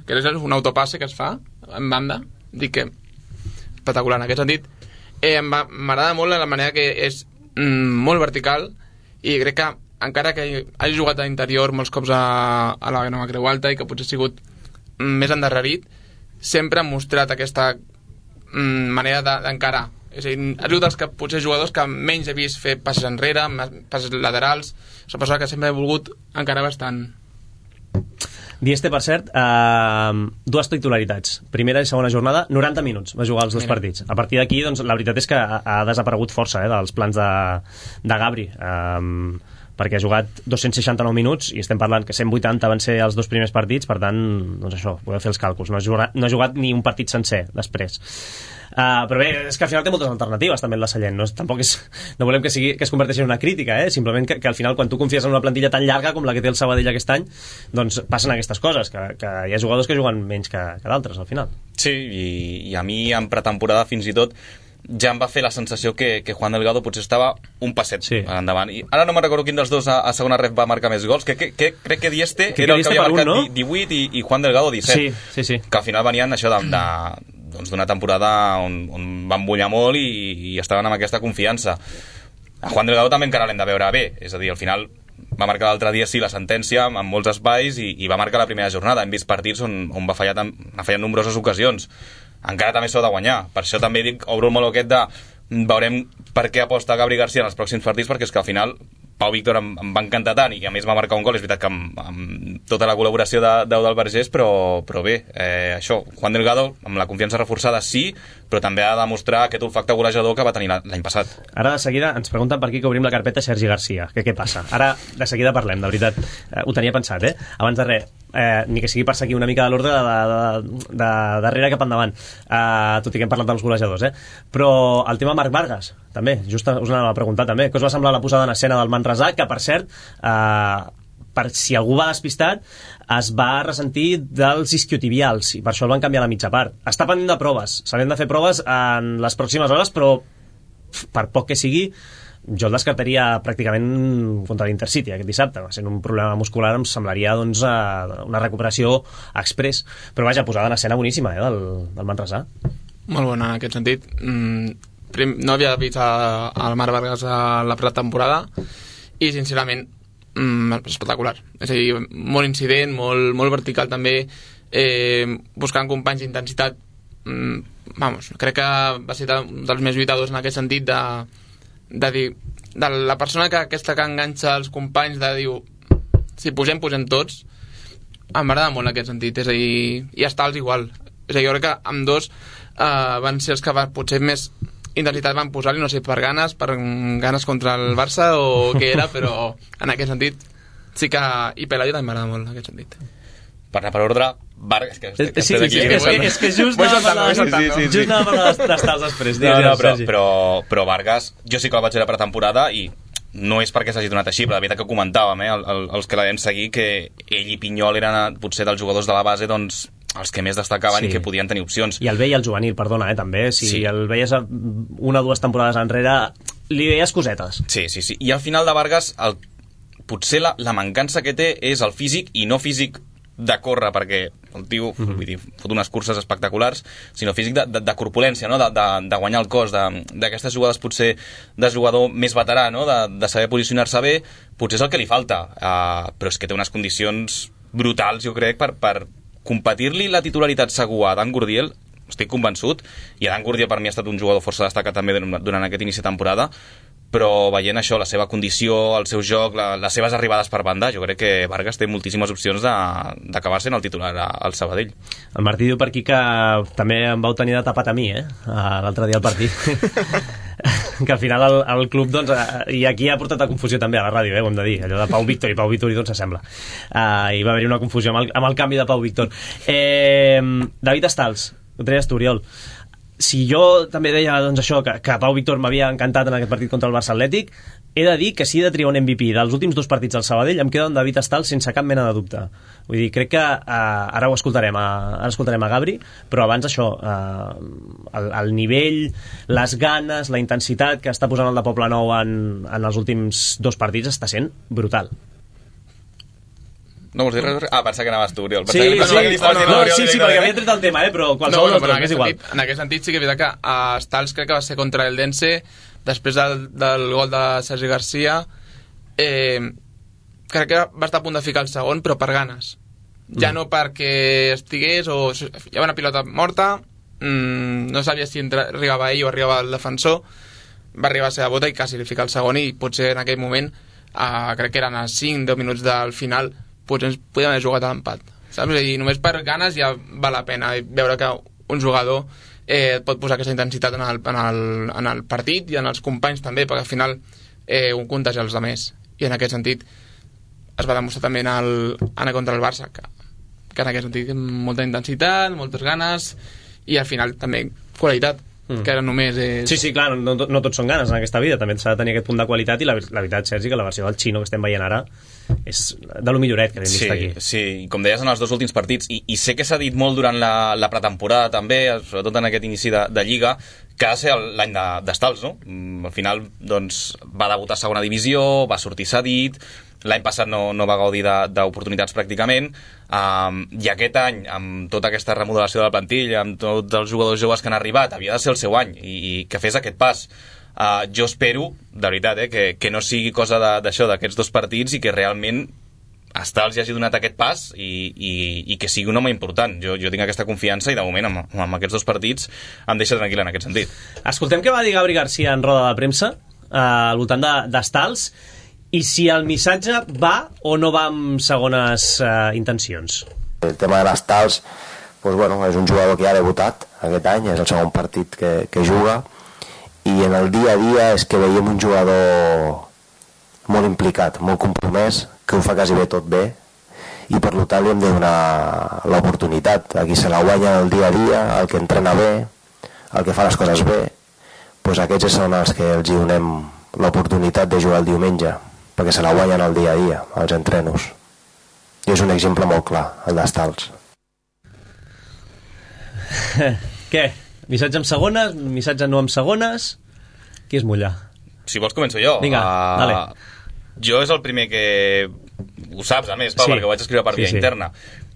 que és un autopasse que es fa en banda, dic que espectacular en aquest sentit. eh, m'agrada molt la manera que és mm, molt vertical, i crec que encara que hagi jugat a l'interior molts cops a, a la Nova Creu Alta i que potser ha sigut més endarrerit, sempre ha mostrat aquesta mm, manera d'encarar. És a dir, ha sigut dels que, potser jugadors que menys he vist fer passes enrere, passes laterals. És una persona que sempre he volgut encarar bastant. Dieste, per cert, eh, dues titularitats. Primera i segona jornada, noranta minuts va jugar els dos Mira. partits. A partir d'aquí, doncs, la veritat és que ha, ha desaparegut força eh, dels plans de, de Gabri. Eh, perquè ha jugat dos-cents seixanta-nou minuts i estem parlant que cent vuitanta van ser els dos primers partits, per tant, doncs això, podeu fer els càlculs, no ha jugat, no ha jugat ni un partit sencer després. Uh, però bé, és que al final té moltes alternatives també el de Sallent, no? Tampoc és, no volem que, sigui, que es converteixi en una crítica, eh? Simplement que, que al final quan tu confies en una plantilla tan llarga com la que té el Sabadell aquest any, doncs passen aquestes coses, que, que hi ha jugadors que juguen menys que, que d'altres al final. Sí, i, i a mi en pretemporada fins i tot ja em va fer la sensació que, que Juan Delgado potser estava un passet sí. endavant. I ara no me'n recordo quin dels dos a, a segona ref va marcar més gols, que, que, que crec que Dieste que era el que havia marcat un, no? divuit i, i Juan Delgado disset. Sí, sí, sí. Que al final venien això de, de, doncs d'una temporada on, on van bullar molt i, i estaven amb aquesta confiança. A Juan Delgado també encara l'hem de veure bé, és a dir, al final va marcar l'altre dia sí la sentència amb molts espais i, i va marcar la primera jornada. Hem vist partits on, on va fallar, ha fallat nombroses ocasions. Encara també s'ho ha de guanyar. Per això també dic, obro el meló aquest de veurem per què aposta Gabri García en els pròxims partits, perquè és que al final Pau Víctor em, em va encantar tant i a més va marcar un gol, és veritat que amb, amb tota la col·laboració d'Eudald Vergés, però, però bé, eh, això, Juan Delgado amb la confiança reforçada sí, però també ha de demostrar aquest olfacte golejador que va tenir l'any passat. Ara de seguida ens pregunten per aquí que obrim la carpeta Sergi García, que què passa? Ara de seguida parlem, de veritat, eh, ho tenia pensat, eh? Abans de res, eh, ni que sigui per seguir una mica de l'ordre de, de, de, de darrere cap endavant, eh, tot i que hem parlat dels golejadors, eh? Però el tema Marc Vargas, també, just us anava a preguntar també, què us va semblar la posada en escena del Manresà, que per cert, eh, per si algú va despistat, es va ressentir dels isquiotibials i per això el van canviar a la mitja part. Està pendent de proves, s'han de fer proves en les pròximes hores, però per poc que sigui jo el descartaria pràcticament contra l'Intercity aquest dissabte, sent un problema muscular em semblaria doncs, una recuperació express, però vaja, posada en escena boníssima eh, del, del Manresà. Molt bona en aquest sentit. mm, prim, no havia vist el Marc Vargas a la pretemporada i sincerament mm, espectacular, és a dir, molt incident, molt, molt vertical també, eh, buscant companys d'intensitat. mm, vamos, crec que va ser un dels més lluitadors en aquest sentit de, de dir, de la persona que aquesta que enganxa els companys de dir, si posem, posem tots. Em va agradar molt en aquest sentit, és a dir, i estar-los igual, és a dir, jo crec que amb dos eh, van ser els que va, potser més intensitat van posar-li, no sé, per ganes, per ganes contra el Barça o què era, però en aquest sentit sí que... I Pelayo també m'agrada molt en aquest sentit. Per anar per ordre, Vargas... Que, que sí, sí, sí, és, és que just anava a parlar d'estals després. No, no, però, però, però Vargas, jo sí que el vaig veure per temporada i no és perquè s'hagi donat així, però la veritat que comentàvem, eh, el, el, els que la vam seguir, que ell i Pinyol eren potser dels jugadors de la base doncs, els que més destacaven sí. i que podien tenir opcions. I el B i el juvenil, perdona, eh, també. Si sí. el veies una o dues temporades enrere, li veies cosetes. Sí, sí, sí. I al final de Vargas, el, potser la, la mancança que té és el físic, i no físic de córrer, perquè el tio mm-hmm. vull dir, fot unes curses espectaculars, sinó físic de, de, de corpulència, no? de, de, de guanyar el cos, d'aquestes jugades potser de jugador més veterà, no? de, de saber posicionar-se bé, potser és el que li falta, uh, però és que té unes condicions brutals, jo crec, per, per competir-li la titularitat segur a Dan Gurdiel, estic convençut, i Dan Gurdiel per mi ha estat un jugador força destacat també durant aquest inici de temporada, però veient això, la seva condició, el seu joc, la, les seves arribades per banda, jo crec que Vargas té moltíssimes opcions d'acabar sent el titular al Sabadell. El Martí diu per aquí que també em vau tenir de tapat a mi, eh? L'altre dia al partit. Que al final el, el club, doncs, i aquí ha portat a confusió també a la ràdio, eh, ho hem de dir, allò de Pau Víctor i Pau Víctor i doncs s'assembla. Uh, hi va haver una confusió amb el, amb el canvi de Pau Víctor. Eh, David Estals, ho treies tu, Oriol. Si jo també deia doncs, això, que, que Pau Víctor m'havia encantat en aquest partit contra el Barça Atlètic, he de dir que si he de triar un M V P dels últims dos partits al Sabadell, em queda un David Estals sense cap mena de dubte. Vull dir, crec que uh, ara ho escoltarem a, ara escoltarem a Gabri, però abans això, uh, el, el nivell, les ganes, la intensitat que està posant el de Poblenou en, en els últims dos partits està sent brutal. No vols dir res? Ah, pensa que anaves tu, Oriol. Sí, sí, sí, no, no, no, sí, sí, perquè havia tret el tema, eh, però qualsevol no, dels dos, és igual. Sentit, en aquest sentit sí que és veritat que a Stals crec que va ser contra el Dense, després del, del gol de Sergi Garcia, eh, crec que va estar a punt de ficar el segon, però per ganes. Ja mm. no perquè estigués o hi havia una pilota morta, mmm, no sabia si entra, arribava ell o arribava el defensor, va arribar a ser a bota i quasi li fica el segon, i potser en aquell moment, eh, crec que eren a cinc deu minuts del final, potser ens podíem haver jugat a l'empat, saps? I només per ganes ja val la pena veure que un jugador eh, pot posar aquesta intensitat en el, en, el, en el partit i en els companys també, perquè al final eh, un contagia els altres, i en aquest sentit es va demostrar també en el, en contra el Barça que, que en aquest sentit molta intensitat, moltes ganes i al final també qualitat, mm. que ara només és... Sí, sí, clar, no, no, no tots són ganes en aquesta vida, també s'ha de tenir aquest punt de qualitat, i la, la veritat, Sergi, que la versió del Xino que estem veient ara és de lo milloret que hem vist sí, aquí. Sí, i com deies en els dos últims partits, i, i sé que s'ha dit molt durant la, la pretemporada també, sobretot en aquest inici de, de Lliga, que ha de ser l'any d'Estals, no? Al final, doncs, va debutar a segona divisió, va sortir cedit, l'any passat no, no va gaudir d'oportunitats pràcticament, um, i aquest any, amb tota aquesta remodelació de la plantilla, amb tots els jugadors joves que han arribat, havia de ser el seu any, i, i que fes aquest pas. Uh, jo espero, de veritat, eh, que, que no sigui cosa d'això, d'aquests dos partits, i que realment Estals ja hagi donat aquest pas i, i, i que sigui un home important. Jo, jo tinc aquesta confiança i de moment amb, amb aquests dos partits em deixa tranquil en aquest sentit. Escoltem què va dir Gabri Garcia en roda de premsa uh, al voltant d'Estals, i si el missatge va o no va amb segones uh, intencions. El tema de l'Estals, pues bueno, és un jugador que ja ha debutat aquest any, és el segon partit que, que juga, i en el dia a dia és que veiem un jugador molt implicat, molt compromès, que ho fa quasi bé tot bé, i per tant li hem de donar l'oportunitat a qui se la guanya el dia a dia, el que entrena bé, el que fa les coses bé, doncs aquests són els que els hi donem l'oportunitat de jugar el diumenge, perquè se la guanyen el dia a dia, als entrenos. I és un exemple molt clar, el d'Estals. Què? Missatge amb segones? Missatge no amb segones? Qui es mulla? Si vols començo jo. Vinga, uh, dale. Jo és el primer que... Ho saps, a més, Pau, sí. perquè ho vaig escriure per via sí, sí. interna.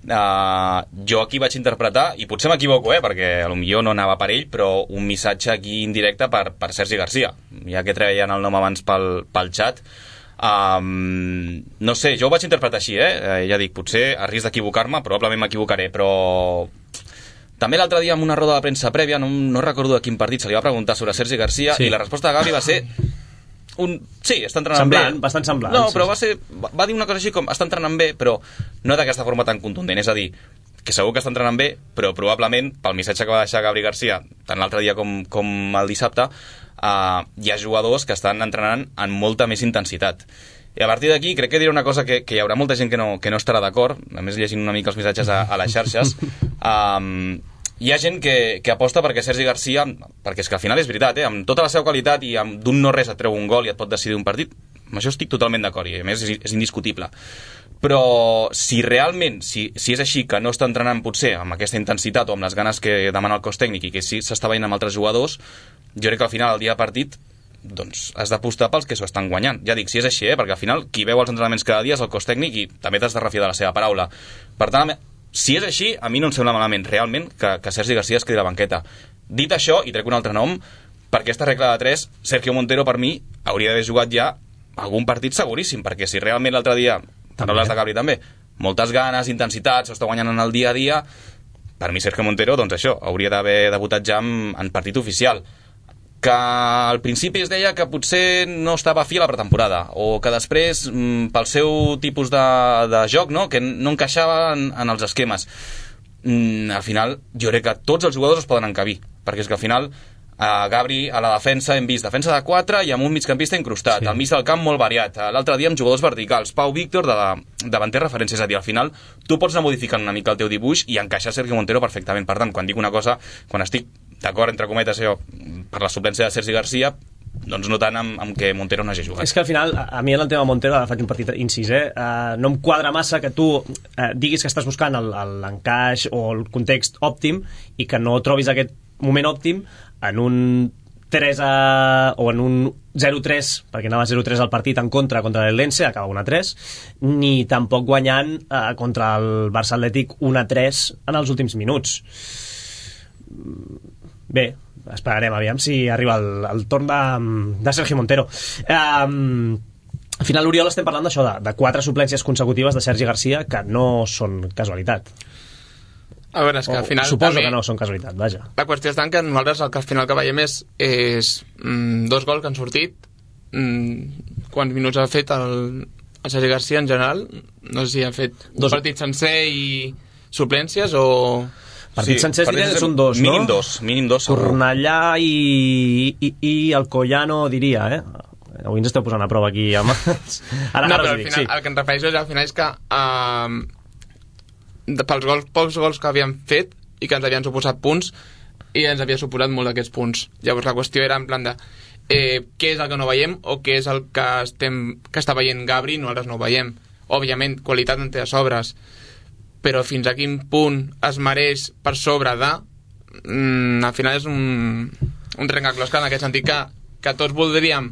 Uh, jo aquí vaig interpretar, i potser m'equivoco, eh, perquè potser no anava per ell, però un missatge aquí indirecte per, per Sergi Garcia, ja que treien el nom abans pel, pel xat. Um, no sé, jo ho vaig interpretar així, eh? Ja dic, potser a risc d'equivocar-me, probablement m'equivocaré, però també l'altre dia en una roda de premsa prèvia, no, no recordo de quin partit, se li va preguntar sobre Sergi Garcia, sí. i la resposta de Gavi va ser un... sí, està entrenant semblant, bé, bastant semblant, no, sí. però va, ser, va, va dir una cosa així com està entrenant bé, però no d'aquesta forma tan contundent, és a dir, que segur que està entrenant bé, però probablement pel missatge que va deixar Gabri Garcia tant l'altre dia com, com el dissabte, uh, hi ha jugadors que estan entrenant amb molta més intensitat. I a partir d'aquí crec que diré una cosa que, que hi haurà molta gent que no, que no estarà d'acord, a més llegint una mica els missatges a, a les xarxes. um, hi ha gent que, que aposta perquè Sergi Garcia, perquè és que al final és veritat, eh, amb tota la seva qualitat i amb d'un no res et treu un gol i et pot decidir un partit, amb això estic totalment d'acord, i a més és, és indiscutible, però si realment, si, si és així que no està entrenant potser amb aquesta intensitat o amb les ganes que demana el cos tècnic i que sí s'està veient amb altres jugadors, jo crec que al final, el dia de partit, doncs has d'apostar pels que s'ho estan guanyant. Ja dic, si és així, eh? Perquè al final qui veu els entrenaments cada dia és el cos tècnic i també t'has de refiar de la seva paraula. Per tant, si és així, a mi no em sembla malament realment que, que Sergi García es quedi a la banqueta. Dit això, i trec un altre nom, per aquesta regla de tres, Sergio Montero per mi hauria d'haver jugat ja algun partit seguríssim, perquè si realment l'altre dia, paraules de Gabri també, moltes ganes, intensitat, s'està guanyant en el dia a dia, per mi Sergio Montero, doncs això, hauria d'haver debutat ja en, en partit oficial. Que al principi es deia que potser no estava fi a la pretemporada, o que després, pel seu tipus de, de joc, no? Que no encaixava en, en els esquemes. Mm, al final, jo crec que tots els jugadors es poden encabir, perquè és que al final a Gabri a la defensa hem vist defensa de quatre i amb un migcampista incrustat, sí. Al mig del camp molt variat, l'altre dia amb jugadors verticals, Pau Víctor de la, davanter referència, és a dir, al final tu pots anar modificant una mica el teu dibuix i encaixar Sergio Montero perfectament. Per tant, quan dic una cosa, quan estic d'acord entre cometes jo, per la suplència de Sergi García, doncs no tant amb, amb que Montero no hagi jugat. És que al final, a mi en el tema Montero, ara faig un petit incís, eh? Uh, no em quadra massa que tu uh, diguis que estàs buscant l'encaix o el context òptim i que no trobis aquest moment òptim en un tres a, o en un zero tres, perquè anava zero tres al partit en contra contra l'Eldense, acaba un a tres, ni tampoc guanyant eh, contra el Barça Atlètic un a tres en els últims minuts. Bé, esperarem, aviam si arriba el, el torn de, de Sergio Montero. Um, al final, l'Oriol, estem parlant d'això, de, de quatre suplències consecutives de Sergi García que no són casualitat. A veure, és que al final... O, suposo també, que no són casualitat, vaja. La qüestió és tant que nosaltres el que al final que veiem és, és mm, dos gols que han sortit, mm, quants minuts ha fet el, el Sergi García en general, no sé si ha fet dos... un partit sencer i suplències o... Partits sí, sencers diré, són dos, no? Mínim dos, mínim dos. Cornellà i, i, i Alcoyano, diria, eh? Avui ens esteu posant a prova aquí. Amb... Ara, no, ara però al dic, final, sí. El que em refereixo és, al final és que uh, pels gols, pocs gols que havíem fet i que ens havien suposat punts i ens havia suposat molt d'aquests punts. Llavors la qüestió era en plan de eh, què és el que no veiem o què és el que, estem, que està veient Gabri i nosaltres no ho veiem. Òbviament, qualitat en té a sobres, però fins a quin punt es mereix per sobre de mm, al final és un, un trencaclosca en aquest sentit que, que tots voldríem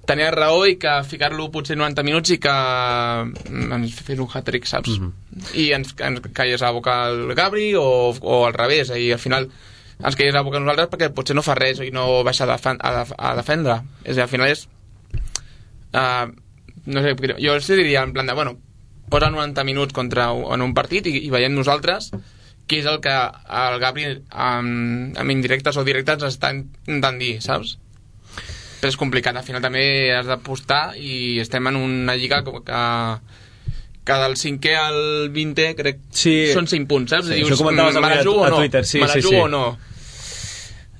tenir raó i que ficar-lo potser noranta minuts i que ens fes un hat-trick, saps? Mm-hmm. I ens, ens caigués a la boca el Gabri o, o al revés, i al final ens caigués a la boca nosaltres perquè potser no fa res i no baixa a, defen a, def a defendre. És a dir, al final és uh, no sé, jo els diria en plan de, bueno, posa noranta minuts contra, en un partit i, i veiem nosaltres què és el que el Gabri amb, amb indirectes o directes ens està intentant dir, saps? Però és complicat, al final també has d'apostar i estem en una lliga que, que del cinquè al vintè crec sí. Són cinc punts, saps? Sí, dius, això comentaves me la jugo o no? Twitter, sí, me la sí, jugo sí. o no?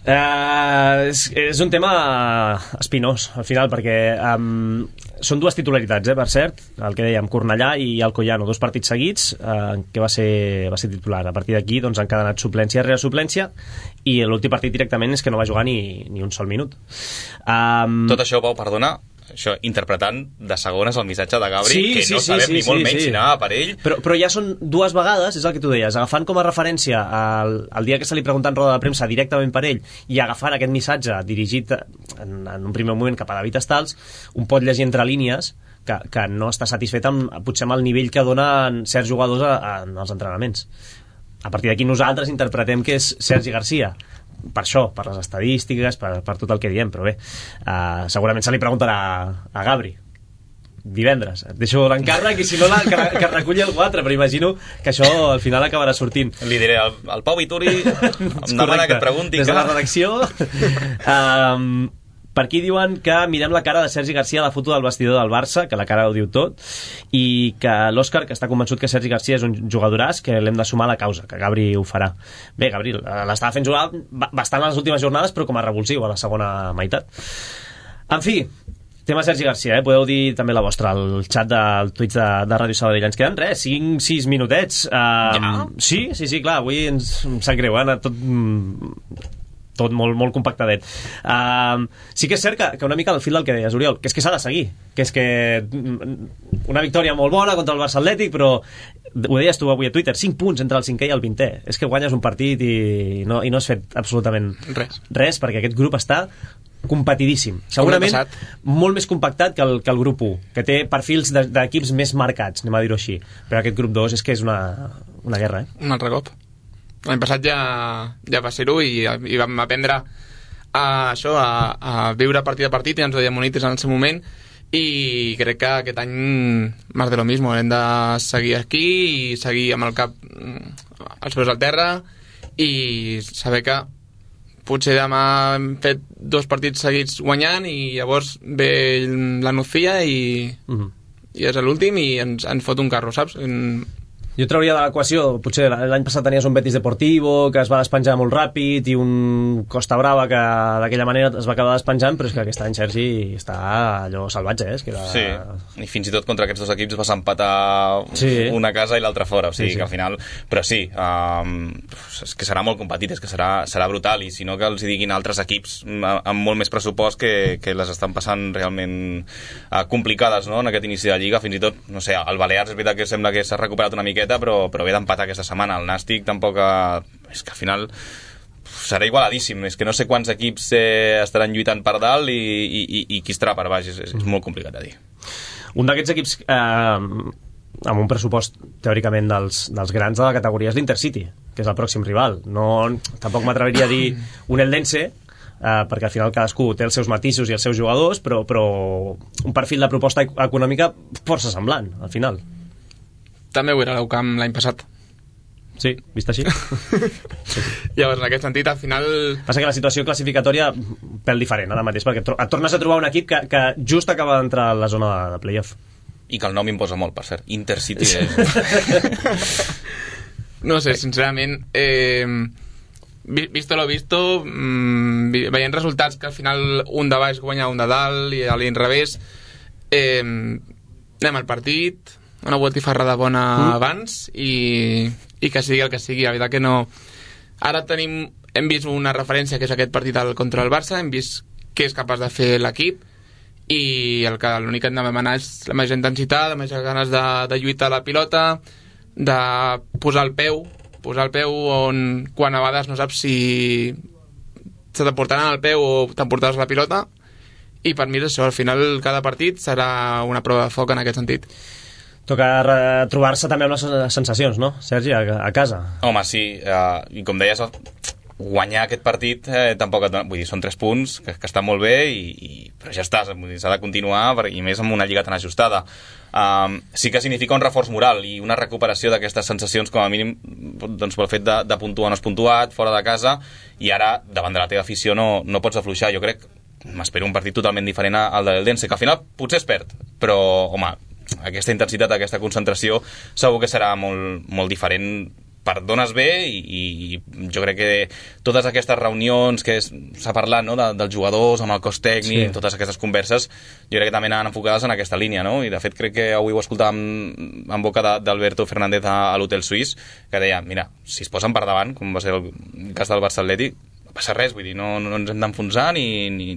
Uh, és, és un tema espinós al final, perquè um, són dues titularitats, eh, per cert, el que dèiem, Cornellà i Alcoyano, dos partits seguits uh, que va ser, va ser titular. A partir d'aquí doncs, han cadenat suplència rere suplència i l'últim partit directament és que no va jugar ni, ni un sol minut. Um, Tot això, Pau, perdona, això, interpretant de segones el missatge de Gabri, sí, que sí, no sí, sabem sí, ni molt sí, menys sí. si anava per ell. Però, però ja són dues vegades, és el que tu deies, agafant com a referència el, el dia que se li pregunta en roda de premsa directament per ell i agafant aquest missatge dirigit en, en un primer moment cap a David Estals, un pot llegir entre línies que, que no està satisfet amb, potser amb el nivell que donen certs jugadors a, a, en els entrenaments. A partir d'aquí nosaltres interpretem que és Sergi García, per això, per les estadístiques, per, per tot el que diem, però bé, uh, segurament se li preguntarà a, a Gabri divendres, et deixo l'encàrrec i si no la, que, que reculli el quatre, però imagino que això al final acabarà sortint. Li diré al, al Pau Vituri em demana que et pregunti des de la redacció. um, Per aquí diuen que mirem la cara de Sergi García a la foto del vestidor del Barça, que la cara ho diu tot, i que l'Òscar, que està convençut que Sergi García és un jugadoràs, que l'hem de sumar a la causa, que Gabri ho farà. Bé, Gabri l'estava fent jugar bastant a les últimes jornades, però com a revulsiu a la segona meitat. En fi, tema Sergi García, eh? Podeu dir també la vostra al xat del Twitch de, de Ràdio Sabadell. Ens queden res, cinc sis minutets. Um, ja? Sí, sí, sí, clar, avui ens em sap greu, eh? Tot... tot molt, molt compactadet. Uh, sí que és cert que, que una mica al fil del que deies, Oriol, que és que s'ha de seguir, que és que una victòria molt bona contra el Barça Atlètic, però ho deies tu avui a Twitter, cinc punts entre el cinquè i el vintè, és que guanyes un partit i no, i no has fet absolutament res, res perquè aquest grup està competidíssim, segurament molt més compactat que el, que el grup u, que té perfils d'equips més marcats, anem a dir-ho així, però aquest grup dos és que és una, una guerra, eh? Un altre cop. L'any passat ja, ja va ser-ho i, i vam aprendre a, això, a, a viure partit a partit i ens ho deia Monites en el seu moment i crec que aquest any més de lo mismo, hem de seguir aquí i seguir amb el cap als peus al terra i saber que potser demà hem fet dos partits seguits guanyant i llavors ve la Nucía i, uh-huh. i és l'últim i ens, ens fot un carro, saps? En, jo trauria de l'equació, potser l'any passat tenies un Betis Deportivo que es va despenjar molt ràpid i un Costa Brava que d'aquella manera es va acabar despenjant, però és que aquest any Sergi està allò salvatge, eh? Es queda... Sí, i fins i tot contra aquests dos equips vas empatar sí. una casa i l'altra fora, o sigui sí, sí. que al final... Però sí, um, és que serà molt competit, és que serà, serà brutal, i si no que els diguin altres equips amb molt més pressupost que, que les estan passant realment uh, complicades, no?, en aquest inici de Lliga, fins i tot, no sé, el Balears és veritat que sembla que s'ha recuperat una miqueta, però, però ve d'empatar aquesta setmana. El Nàstic tampoc... Ha... És que al final serà igualadíssim. És que no sé quants equips eh, estaran lluitant per dalt i, i, i, i qui estarà per baix. És, és, és molt complicat de dir. Un d'aquests equips eh, amb un pressupost teòricament dels, dels grans de la categoria és l'Intercity, que és el pròxim rival. No, tampoc m'atreviria a dir un Eldense, eh, perquè al final cadascú té els seus matisos i els seus jugadors, però, però un perfil de proposta econòmica força semblant, al final. També ho era l'Eucamp l'any passat. Sí, vist així. Sí. Llavors, en aquest sentit, al final... Passa que la situació classificatòria pèl diferent ara mateix, perquè et tornes a trobar un equip que, que just acaba d'entrar a la zona de, de playoff. I que el nom imposa molt, per cert. Intercity. Sí. No sé, sincerament... Eh, visto lo visto, mmm, veient resultats que al final un de baix guanya un de dalt i a l'inrevés, eh, anem al partit... una botifarrada bona mm. abans i, i que sigui el que sigui, la veritat que no... Ara tenim, hem vist una referència que és aquest partit contra el Barça, hem vist què és capaç de fer l'equip i el que l'únic que hem de demanar és la major intensitat, la major ganes de, de lluitar la pilota, de posar el peu posar el peu on quan a vegades no saps si se t'emportaran el peu o t'emportaràs la pilota, i per mi és això, al final cada partit serà una prova de foc en aquest sentit. Toca trobar-se també amb les sensacions, no, Sergi, a, a casa? Home, sí, eh, i com deies, guanyar aquest partit eh, tampoc et dona, vull dir, són tres punts que, que estan molt bé, i, i, però ja està, s'ha de continuar, i més amb una lliga tan ajustada. Um, sí que significa un reforç moral i una recuperació d'aquestes sensacions, com a mínim, doncs, pel fet de, de puntuar no has puntuat, fora de casa, i ara, davant de la teva afició, no, no pots afluixar. Jo crec, m'espero un partit totalment diferent al de l'Eldense, que al final potser es perd, però, home, aquesta intensitat, aquesta concentració segur que serà molt, molt diferent. Perdones bé, i, i jo crec que totes aquestes reunions que s'ha parlat, no, de, dels jugadors amb el cos tècnic, sí, totes aquestes converses, jo crec que també anaven enfocades en aquesta línia, no? I de fet crec que avui ho escoltàvem en boca d'Alberto Fernández a, a l'Hotel Suís, que deia, mira, si es posen per davant, com va ser el cas del Barça Atlètic, no passa res, vull dir, no, no ens hem d'enfonsar ni, ni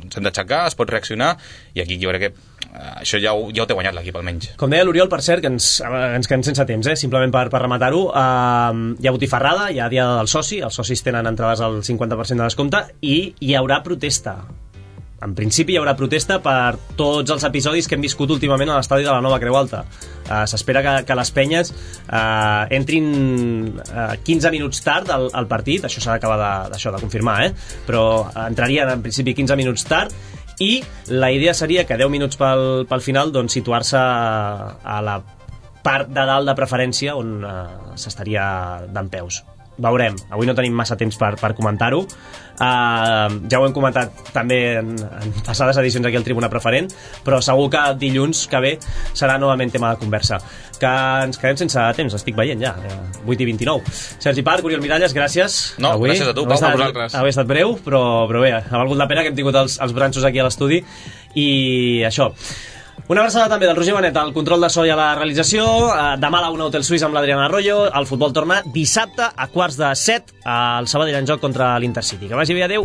ens hem d'aixecar, es pot reaccionar, i aquí jo crec que això ja ho, ja ho té guanyat l'equip almenys. Com deia l'Oriol, per cert, que ens, ens quedem sense temps, eh? Simplement per, per rematar-ho, uh, hi ha botifarrada, hi ha dia del soci, els socis tenen entrades al cinquanta per cent de descompte, i hi haurà protesta. En principi hi haurà protesta per tots els episodis que hem viscut últimament a l'estadi de la Nova Creu Alta. Uh, s'espera que, que les penyes uh, entrin uh, quinze minuts tard al, al partit, això s'ha d'acabar de, d'això, de confirmar, eh? Però entrarien en principi quinze minuts tard, i la idea seria que deu minuts pel, pel final, doncs, situar-se a la part de dalt de preferència on uh, s'estaria dempeus. Veurem, avui no tenim massa temps per, per comentar-ho, uh, ja ho hem comentat també en, en passades edicions aquí al Tribuna Preferent, però segur que dilluns que ve serà novament tema de conversa. Que ens quedem sense temps, estic veient ja, vuit i vint-i-nou. Sergi Parc, Oriol Miralles, gràcies. No, avui, gràcies a tu, Pau, a vosaltres. Avui ha estat breu, però, però bé, ha valgut la pena que hem tingut els, els branxos aquí a l'estudi, i això. Una abraçada també del Roger Benet al control de so i a la realització. Demà a la una Hotel Suís amb l'Adriana Arroyo. El futbol torna dissabte a quarts de set al Sabadell en joc contra l'Intercity. Que vagi bé, adeu.